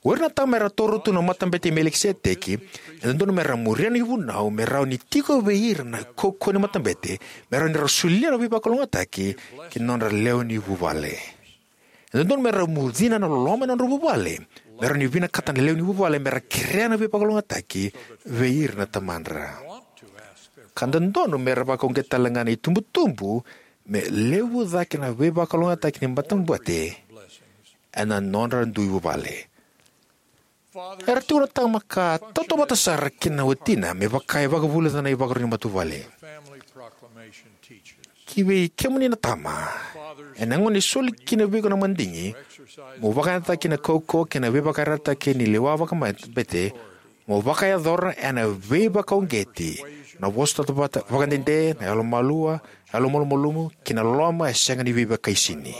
O ira na tama era taura tu na matabete i Melikiseteki, e dodonu me ra muria na ivunau me rawa ni tiko vei ira na kaukauwa ni matabete, me rawa ni ra solia na veivakalougatataki ki na nodra lewe ni vuvale. E dodonu me ra mucina na loloma ena nodra vuvale, me rawa ni vinakata na lewe ni vuvale me ra kerea na veivakalougatataki vei ira na tamadra. Ka dodonu me ra vakauqeta tale ga na itubutubu me levu cake na veivakalougatataki ni matabete ena nodra dui vuvale. Era tiko na tama ka tautauvata sara kina na watina me vaka e vakavulica na ivakarau ni matavuvale. Ki vei kemuni na tama, ena gauna e soli kina vei iko na madigi mo vakayagataka na kaukauwa kei na veivakayarayarataki ni lewa vakamatabete, mo vakayacora ena veivakauqeti Na vosota vata vakadede, na yalomalua, yalomalumalumu, kei na loloma e sega ni veivakaisini.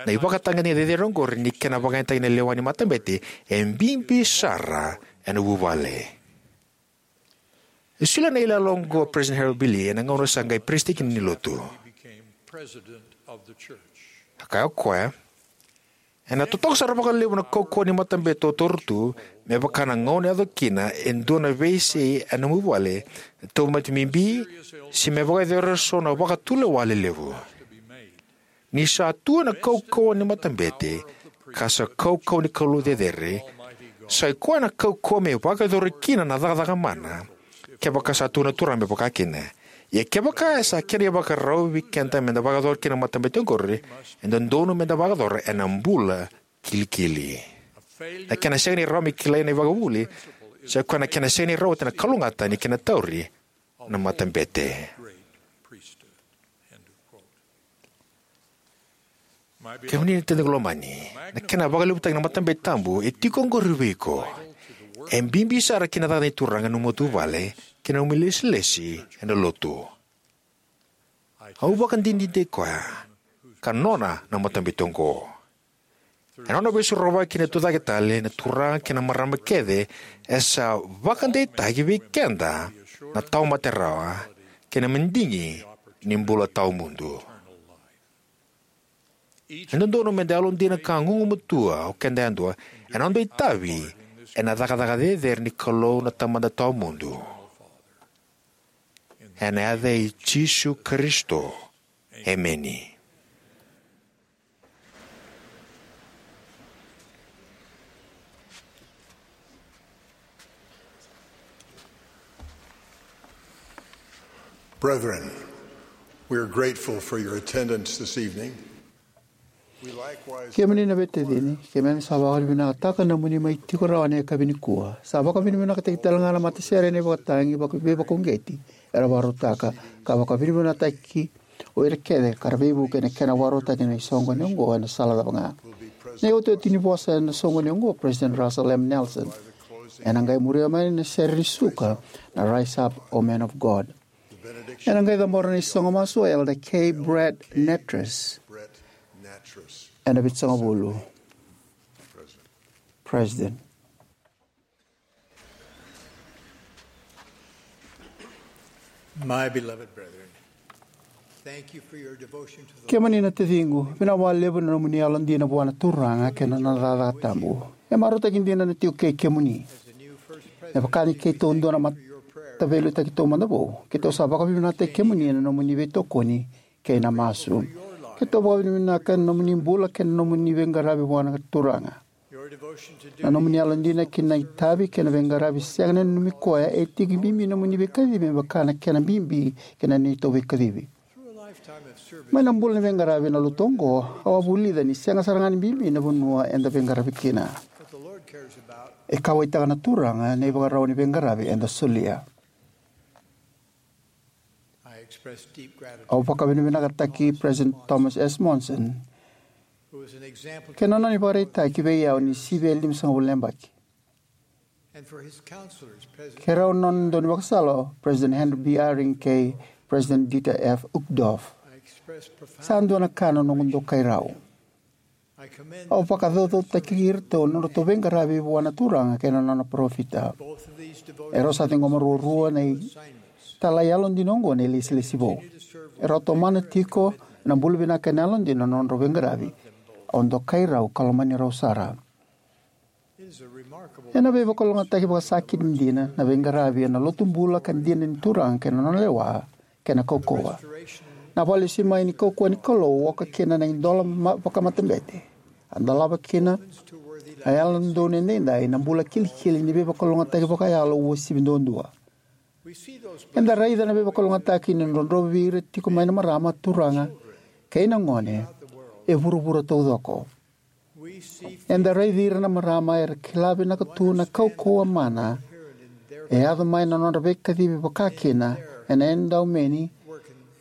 Na ivakatagedegede cecere oqori ni kena vakayagataki na lewa ni matabete e bibi sara ena vuvale. E solia na iyaloyalo oqo o President Harold B. Lee ena gauna sa qai peresitedi kina ni Lotu. A kaya o koya, ena totoka sara vakalevu na kaukauwa ni matabete o taura tu, me vaka na gauna e yaco kina e dua na veisei ena nomu vale, na tauvimate bibi, se me vakayacori eso na vakatulewa lelevu. Ni sa tu ena kaukauwa ni matabete, ka sa kaukauwa ni Kalou cecere, sa i koya na kaukauwa me vakayacori kina na cakacaka mana, kevaka sa tukuna na Turaga me vaka kina. Ia kevaka e sa kena ivakarau vei keda meda vakayacora kina na matabete oqori, e dodonu meda vakayacora ena bula kilikili. Na kena sega ni rawa me kilai na ivakavuvuli, sa i koya na kena sega ni rawati na kalougata ni kena tauri na matabete. Kemuni na taciqu lomani, na kena vakalevutaki na matabete tabu e tiko oqori vei iko. E bibi sara ki na cakacaka ni Turaga ena nomu matavuvale kei na nomu ilesilesi ena Lotu. Au vakadinadinataki koya ka nona na matabete oqo. Ena nona veisorovaki na tucake tale na turaga kei na marama kece, e sa vakadeitaki vei keda na tawamate rawa kei na madigi ni bula tawamudu. E dodonu meda yalodina ka gugumatua o keda yadua ena noda itavi ena cakacaka cecere ni Kalou na Tamada tawamudu. Ena yaca i Jisu Karisito. Emeni. Brethren, we are grateful for your attendance this evening. We likewise Kemuni na veitacini, keimami sa vakavinavinakataka na nomuni mai tiko rawa ena yakavi nikua. Sa vakavinavinakataki tale ga na matasere ena ivakatagi vaka- veivakauqeti era vakarautaka, ka vakavinavinakataki o ira kece ka ra veivuke ena kena vakarautaki na isoqoni oqo ena sala cava ga. Na iotioti ni vosa ena soqoni oqo o President Russell M. Nelson. Ena qai muria mai na sere ni suka na Rise Up, O Men of God. Ena qai cabora na isogo masu o Elder K. Brett Nattress. Ena vitusagavulu. President. My beloved brethren, thank you for your devotion to the Kemuni na taciqu, vinaka vakalevu na nomuni yalodina vua na Turaga kei na nona cakacaka tabu. E marautaki dina na tiko kei kemuni. Me vaka ni keitou dua na mataveiliutaki taumada vou, keitou sa vakavinavinakataki kemuni ena nomuni veitokoni kei na masu. Keitou vakavinavinaka ena nomuni bula kei na nomuni veiqaravi vua na Turaga. Na nomuni yalodina ki na itavi kei na veiqaravi sega ni nanumi koya e tiki bibi na nomuni veikacivi me vaka na kena bibi kei na neitou veikacivi. Mai na bula ni veiqaravi ena lotu oqo, au a vulica ni sega sara ga ni bibi na vanua eda veiqaravi kina. E kauwaitaka na Turaga na ivakarau ni veiqaravi eda solia. Au vakavinavinakataki President Thomas S. Monson kei na nona ivakaraitaki vei au ni sivi e limasagavulu na yabaki. Kei rau na nona daunivakasala o President Henry B. Eyring kei President Dieter F. Uchtdorf. Sa dua na ka na noqu dokai rau. Au vakacaucautaki iratou na nodratou veiqaravi vua na Turaga kei na nona parofita. Erau sa ciqoma ruarua na italai yalodina oqo na ilesilesi vou. Erau tomana tiko ena bula vinaka ena yalodina na nodrau veiqaravi. Au dokai rau ka lomani rau sara. Ena veivakalougatataki vakasakiti dina na veiqaravi ena lotu bula ka dina ni Turaga kei na nona lewa kei na kaukauwa. Na vakalesui mai ni kaukauwa ni Kalou oka kina na idola ma- vakamatabete. A dolava kina na yalododonu edaidai na bula kilikili ni veivakalougatataki vakayalo uasivi duadua. Eda raica na veivakalougatataki ni drodrovi ira tiko mai na marama, turaga kei na gone e vuravura taucoko. Eda raici ira na marama era kila vinaka tu na kaukauwa mana e yaco mai na nodra veikacivi vakakina ena edaumeni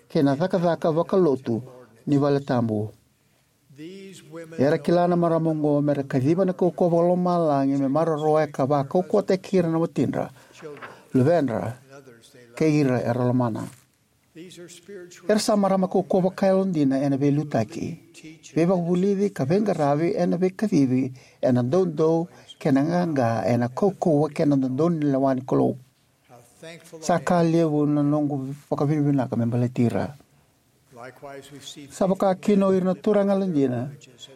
kei na cakacaka vakalotu ni valetabu. Era kila na marama oqo mera kaciva na kaukauwa vakalomalagi me maroroya ka vakaukauwataki ira na watidra, luvedra, kei ira era lomana. Era sa marama kaukauwa vakayalodina ena veiliutaki, veivakavulici ka veiqaravi ena veikacivi, ena doudou kei na qaqa, ena kaukauwa kei na dodonu ni lewa ni Kalou. Sa ka levu na noqu vakavinavinaka me baleti ira. Sa vaka kina o ira na turaga yalodina,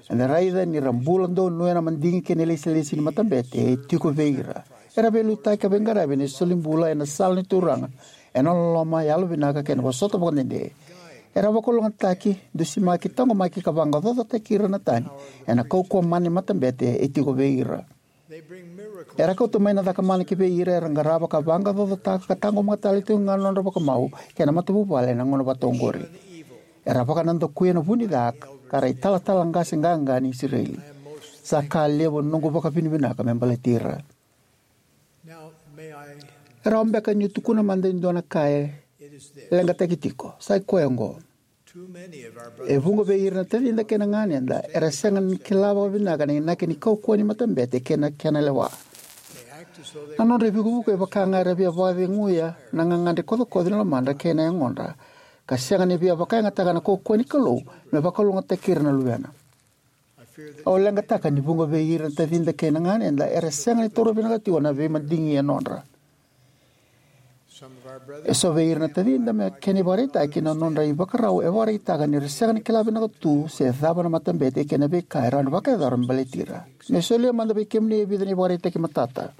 eda raica ni ra bula donuya na madigi kei na ilesilesi ni matabete e tiko vei ira. Era veiliutaki ka veiqaravi ena solibula ena sala ni Turaga, ena loloma, yalovinaka kei na vosota vakadede. Era vakalougatataki, dusimaki, taqomaki ka vaqaqacotaki ira na tani ena kaukauwa mana ni matabete e tiko vei ira. Era kauta mai na cakamana ki vei ira era qarava ka vaqaqacotaka ka taqomaka tale tikoga na nodra vakamau kei na matavuvale ena gauna vata oqori. Era vakanadakuya na vu ni ca ka ra italatala qase qaqa ni Isireli. Sa ka levu na noqu vakavinavinaka me baleti ira. E rawa beka niu tukuna mada e dua na ka e leqataki tiko? Sa i koya oqo. E vuqa vei ira na tacida kei na ganeda era sega ni kila vakavinaka na inaki ni kaukauwa ni matabete kei na kena lewa. Na nodra ivukivuki e vaka ga era via vakaceguya na gagadre kocokoco ni lomadra kei na yagodra, ka sega ni via vakayagataka na kaukauwa ni Kalou me vakalougatataki ira na luvena. Au leqataka ni vuqa vei ira na tacida kei na ganeda era sega ni taura vinaka tiko na veimadigi e nodra. Eso vei ira na tacida, me kena ivakaraitaki, na nodra ivakarau e vakaraitaka ni ra sega ni kila vinaka tu se cava na matabete kei na veika e rawa ni vakayacora me baleti ira. Me solia mada vei kemuni e vica na ivakaraitaki matata.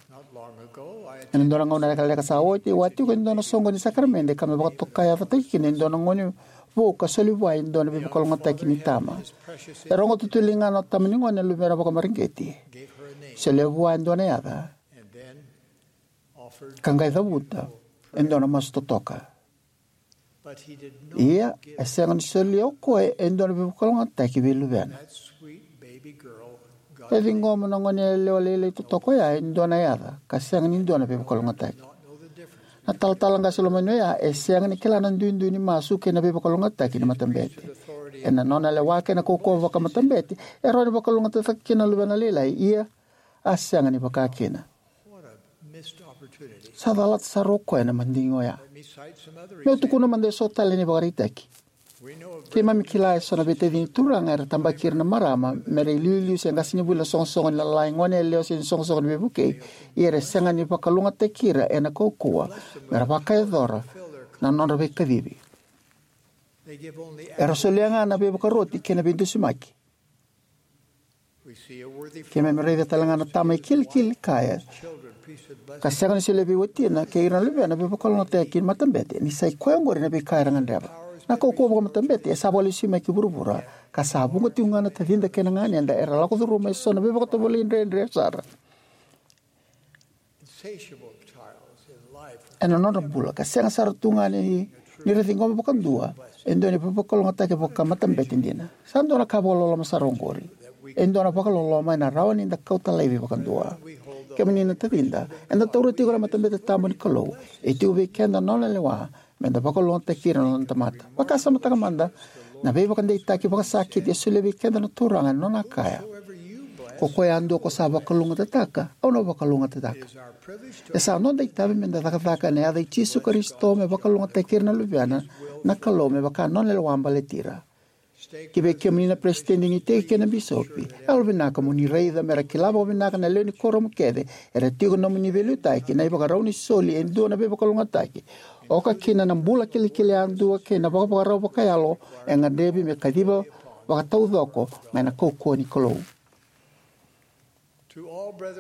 Ena dua na gauna lekaleka sa oti, au a tiko e dua na soqo ni sakaramede ka me vakatokai yacataki kina e dua na gone vou ka soli vua e dua na veivakalougatataki ni tama. E rogo tutuli ga na tama ni gone na luvena vakamareqeti. Solia vua e dua na yaca ka qai cavuta e dua na masu totoka. Ia, e sega ni solia o koya e dua na veivakalougatataki vei luvena. E ciqoma na gone yalewa lailai totoka oya e dua na yaca ka sega ni dua na veivakalougatataki. Na talatala qase lomani oya e sega ni kila na duidui ni masu kei na veivakalougatataki ni matabete. Ena nona lewa kei na kaukauwa vakamatabete, e rawa ni vakalougatataka kina na luvena lailai, ia a sega ni vaka kina. Sa calata sara o koya na madigi oya. Meu tukuna mada eso tale na ivakaraitaki. Keimami kila eso na veitacini turaga era tabaki ira na marama me ra iliuliu se qasenivuli ena soqosoqo ni lalai, gone yalewa se ni soqosoqo ni veivukei, ia era sega ni vakalougatataki ira ena kaukauwa me ra vakayacora na nodra veikacivi. Era solia ga na veivakaroti kei na veidusimaki. Keimami raica tale ga na tama e kilikili kaya ka sega ni solia vei watina kei ira na luvena veivakalougatataki ni matabete, ni sa i koya oqori na veika era gadreva. Na kaukauwa vakamatabete e sa vakalesui mai ki vuravura, ka sa vuqa tiko ga na tacida kei na ganeda era lako curuma eso na veivakatovolei dredre sara ena nodra bula, ka sega sara tu ga ni, ni ra ciqoma vakadua e dua na veivakalougatataki vakamatabete dina. Sa dua na ka vakaloloma sara oqori. E dua na vakaloloma ena rawa ni da kauta laivi vakadua. Kemuni na tacida, eda taura tiko na matabete tabu ni Kalou. E tiko vei keda na nona lewa me da vakalougatataki ira na nona tamata. Vakasamataka mada na veivakadeitaki vakasakiti e solia vei keda na Turaga ena nona kaya: Ko koya yadua ko sa vakalougatataka, au na vakalougatataka. E sa noda itavi me da cakacaka ena yaca i Jisu Karisito me vakalougatataki ira na luvena na Kalou me vaka na nona lewa baleti ira. Ki vei kemuni na peresitedi ni iteki kei na bisopi, yalovinaka mo ni raica me ra kila vakavinaka na lewe ni kuoramu kece era tiko ena nomuni veiliutaki na ivakarau ni soli e dua na veivakalougatataki, oka kina na bula kilikili yadua kei na vakavakarau vakayalo e gadrevi me kaciva vakataucoko mai na kaukauwa ni Kalou.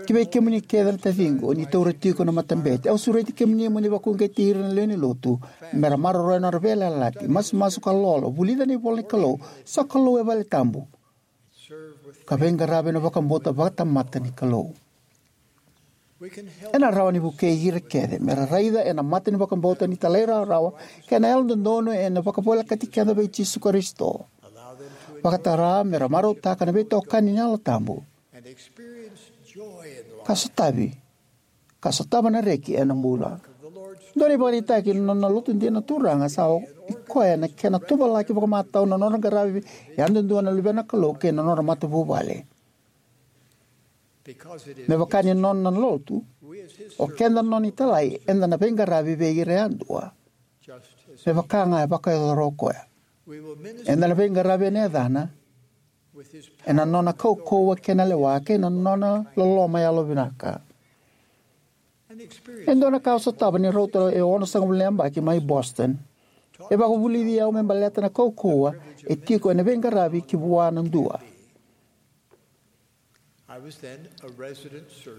Ki vei kemuni kece na taciqu o ni taura tiko na matabete, au sureti kemuni mo ni vakauqeti ira na lewe ni lotu me ra maroroya na nodra veiyalayalati, masumasu ka lolo, vulica na ivola ni Kalou, sokalou e vale tabu, ka veiqaravi ena vakabauta vakatamata ni Kalou. Ena rawa ni vukei ira kece me ra raica ena mata ni vakabauta ni talairawarawa kei na yalododonu ena vakavolekati keda vei Jisu Karisito. Vakatara me ra marautaka na veitokani ni Yalo Tabu ka sotavi, ka sotava na reki ena bula. Dua na ivakaraitaki ni nona lotu dina na Turaga sa i koya na kena tuvalaki vakamatau na nodra qaravi yadudua na luvena na Kalou kei na nodra matavuvale. Me vaka ni nona na lotu, o keda na nona italai, eda na veiqaravi vei ira yadua. Me vaka ga e vakayacora o koya, eda na veiqaravi ena yacana, ena nona kaukauwa kei na lewa kei na nona loloma yalovinaka. E dua na ka au sotava ni rauta e onosagavulu na yabaki mai Boston. E vakavulici au me baleta na kaukauwa e tiko ena veiqaravi ki vua na dua.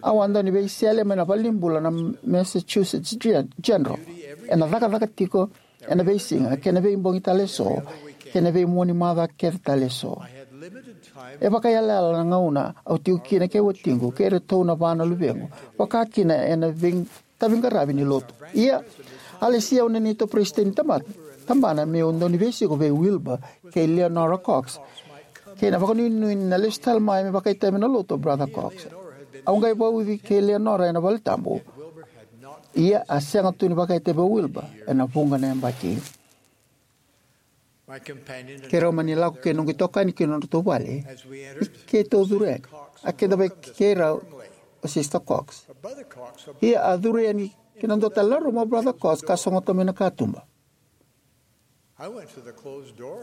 Au a dau ni veisele mai na valenibula na Massachusetts Gen- General, ena cakacaka tiko ena veisiga kei na veibogi tale eso, kei na veimua ni macawa kece tale eso. E vakaiyalayala na gauna au tiko kina kei watiqu kei iratou na va na luvequ, vaka kina ena vei taviqaravi ni lotu. Ia, a lesi au na neitou peresitedi ni taba- tabana meu dau ni veisiko vei Wilbur kei Leonora Cox, kei na vakanuinui ni na lesu tale mai me vakaitavi ena lotu o Brother Cox. Au qai vauci kei Leonora ena valetabu. Ia, a sega tu ni vakaitavi o Wilbur ena vuqa na yabaki. Keirau mani lako kei noqu itokani ki nodratou vale. Ni keitou curu yani, a kidavaki keirau o Sister Cox. Ia, a curu yani ki na dua tale na rumu o Brother Cox ka sogota mai na katuba.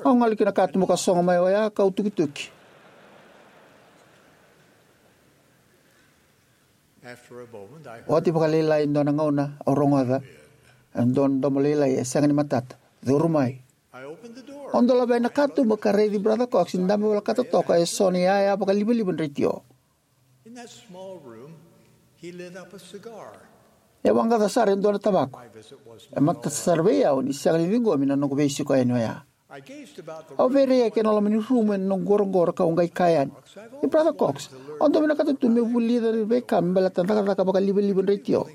Au gole ki na katuba ka sogo mai oya kau tukituki. Oti vakalailai e dua na gauna au rogoca e dua na domo lailai e sega ni matata, "Curu mai." Au dolava na katuba ka raici Brother Cox ni dabe volekata toka eso na iyaya vakalivaliva ni retio. E waqaca sara e dua na tavako. E matata sara vei au ni sega ni ciqomi na noqu veisiko yani oya. Au veiraiyaki ena loma ni rumu ena noqu qoroqoro kau qai kaya yani, "Ni Brother Cox, au dau vinakata tu meu vulica na veika me baleta na cakacaka vakalivaliva ni retio.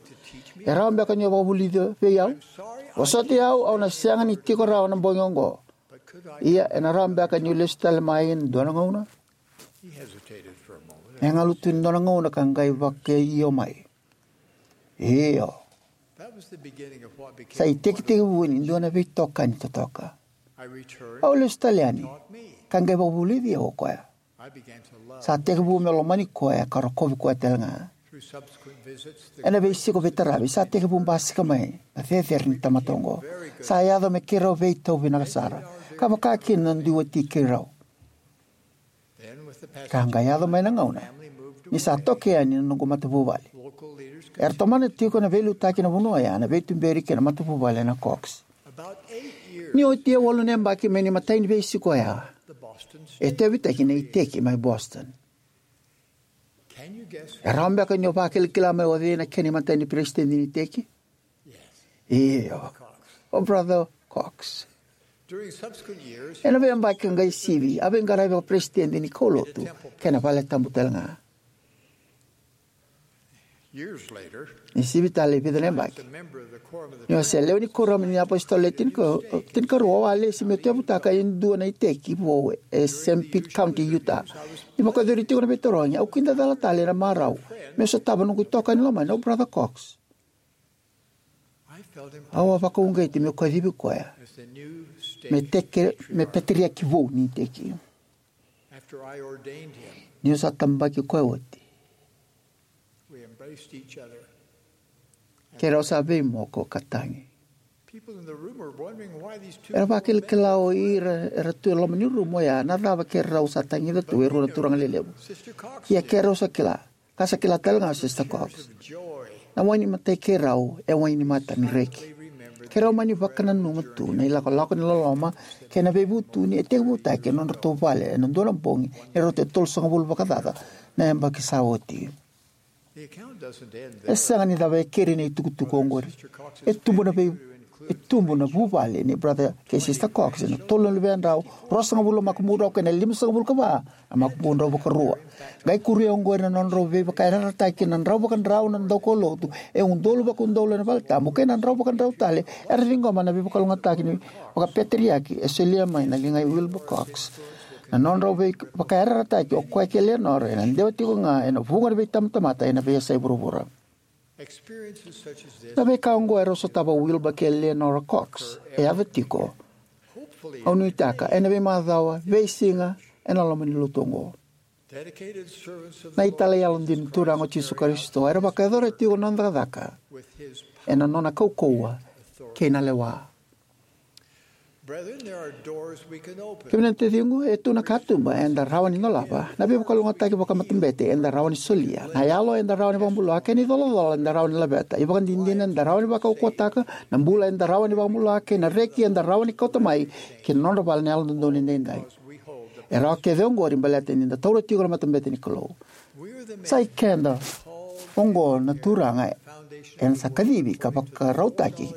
E rawa beka ni o vakavulica vei au? Vosoti au, au na sega ni tiko rawa na bogi oqo. Ia, ena rawa beka niu lesu tale mai ena dua na gauna?" E galu tu ena dua na gauna ka qai vakaio mai, "Io." Sa itekitekivu ni dua na veitokani totoka. Au lesu tale yani ka qai vakavulici au o koya. Sa tekivu meu lomani koya ka rokovi koya tale ga. Ena veisiko veitaravi sa tekivu basika mai na cecere ni tamata oqo. Sa yaco me keirau veitauvi vinaka sara, ka vaka kina na dui wati keirau. Ka qai yaco mai na gauna ni sa toka yani na noqu matavuvale. Era tomana tiko na veiliutaki ena vanua oya na veituberi kei na matavuvale na Cox. Ni oti e walu na yabaki mai na imatai ni veisiko oya, e tauyavutaki na iteki mai Boston. E rawa beka ni o vakilakila mai o cei na kena imatai ni peresitedi ni iteki? Io, o Brother Cox. Ena veiyabaki ka qai sivi, a veiqaravi vakaperesitedi ni kaulotu kei na valetabu tale ga. Ni sivi tale e vica na yabaki, niu se lewe ni kuoramu ni apositolo e tinika- tinikarua, au a lesi meu tauyavutaka e dua na iteki vou e Saint Pete County, Utah. Ni vakayacori tiko na veitarogi, au kidacala tale ena marau meu sotava noqu itokani lomani o Brother Cox. Au a vakauqeti meu kacivi koya me teke- me peteriaki vou ni iteki. Niu sa tabaki koya oti, keirau sa veimoko ka tagi. Era vakilakila o ira era tu e loma ni rumu oya na cava keirau sa tagica tu e rua na turaga lelevu. Ia keirau sa kila, ka sa kila tale ga o Sister Cox, na wai ni matai keirau e wai ni mata ni reki. Keirau mani vakananuma tu na ilakolako ni loloma kei na veivutuni e tekivutaki ena nodratou vale ena dua na bogi ni rauta e tolusagavulu vakacaca na yabaki sa oti. E sega ni cava e keri na itukutuku oqori. E tubu na vei- e tubu na vuvale ni Brother kei Sister Cox ena tolu na luvedrau, ruasagavulu na makubudrau kei na limasagavulu ka va na makubudrau vakarua. Qai kuria oqori na nodrau veivakayarayarataki na drau vakadrau na daukaulotu e udolu vakaudolu ena valetabu kei na drau vakadrau tale era ciqoma na veivakalougatataki ni vakapeteriaki e solia mai na ligai Wilbur Cox. Na nodrau veivakayarayarataki o koya kei Leonora ena dewa tiko ga ena vuqa na veitabatamata ena veiyasai vuravura. Na veika oqo erau sotava o Wilbur kei Leonora Cox e yaco tiko, au nuitaka, ena veimacawa, veisiga ena loma ni lotu oqo. Na italai yalodina ni Turaga o Jisu Karisito era vakayacora tiko na noda cakacaka ena nona kaukauwa kei na lewa. Kemuni na taciqu, e tu na katuba eda rawa ni dolava, na veivakalougatataki vakamatabete eda rawa ni solia, na yalo eda rawa ni vakabula, kei na icolacola eda rawa ni laveta, ivakadinadina eda rawa ni vakaukauwataka, na bula eda rawa ni vakabula, kei na reki eda rawa ni kauta mai ki na nodra vale na Yalododonu Edaidai. E rawa kece oqori baleta ni da taura tiko na matabete ni Kalou. Sa i keda oqo na Turaga ena sa kacivi ka vakarautaki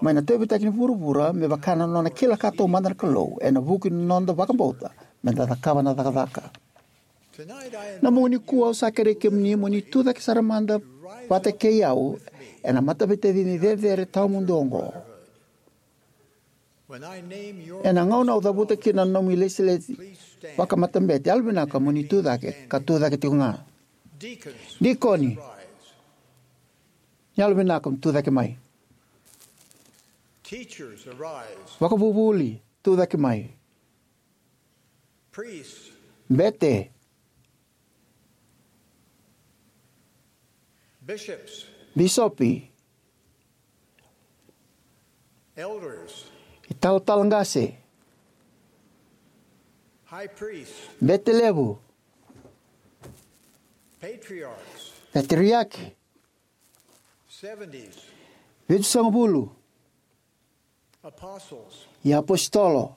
mai na tauyavutaki ni vuravura me vaka na nona kila ka taumada na Kalou ena vuku ni noda vakabauta me da cakava na cakacaka. Na bogi nikua au sa kerei kemuni mo ni tucake sara mada vata kei au ena mataveitacini cecere tawamudu oqo. Ena gauna au cavuta kina na nomu ilesilesi vakamatabete, yalovinaka mo ni tucake ka tucake tiko ga. Dikoni, yalovinaka mo tucake mai. Vakavuvuli, tucake mai. Bete, bisopi, italatala qase, bete levu, peteriaki, vitusagavulu, iapositolo.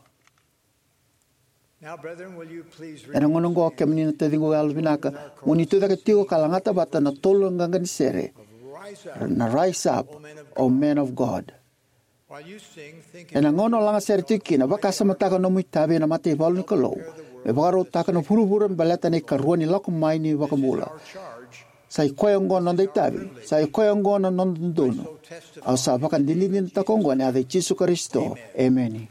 Ena gauna oqo, kemuni na taciqu yalovinaka, mo ni tucake tiko ka lagata vata na tolu na qaqani sere, na Rise Up, O Men of God. Ena gauna o lagasere tiko kina, vakasamataka na nomu itavi ena mataivalu ni Kalou me vakarautaka na vuravura me baleta na ikarua ni lako mai ni iVakabula. Sa i koya oqo na noda itavi, sa i koya oqo na noda dodonu. Au sa vakadinadinataka oqo ena yaca i Jisu Karisito. Emeni.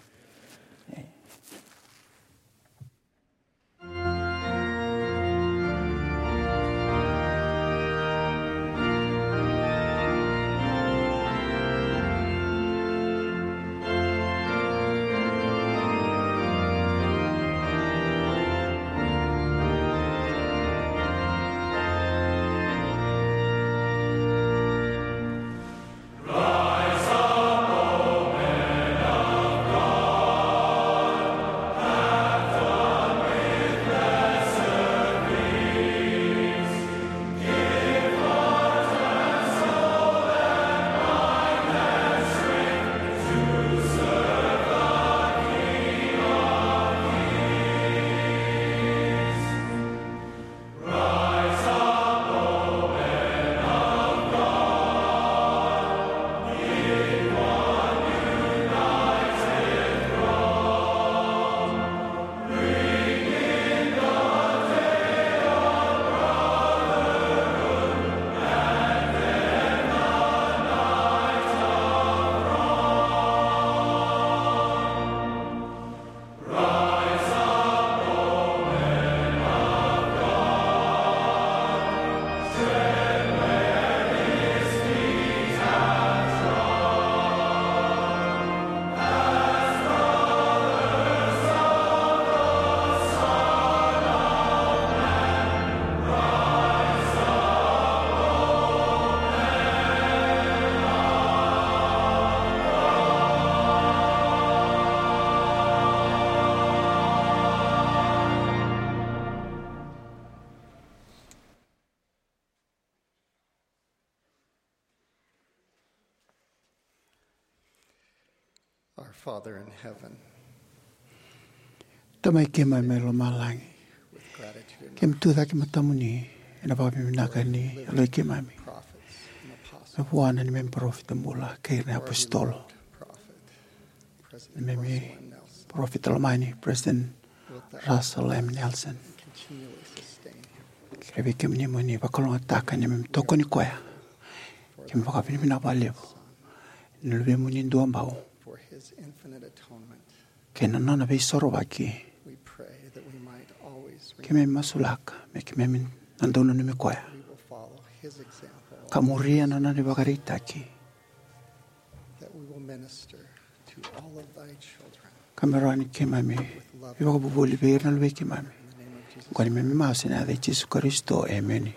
Our Father in heaven, Tamai keimami mai lomalagi, with gratitude and keimami tucake matamuni ena vakavinavinaka ni yaloi keimami me vua na neimami parofita bula kei na apositolo, neimami parofita lomani, President Russell M. Nelson. Kerei vei kemuni mo ni vakalougatataka neimami tokoni koya. Keimami vakavinavinaka vakalevu ena luvemuni duabau kei na nona veisorovaki. Keimami masulaka me keimami na dau nanumi koya ka muria na nona ivakaraitaki, ka me rawa ni keimami veivakavuvuli vei ira na luvei keimami. Ko ni me masu ena yaca i Jisu Karisito, emeni.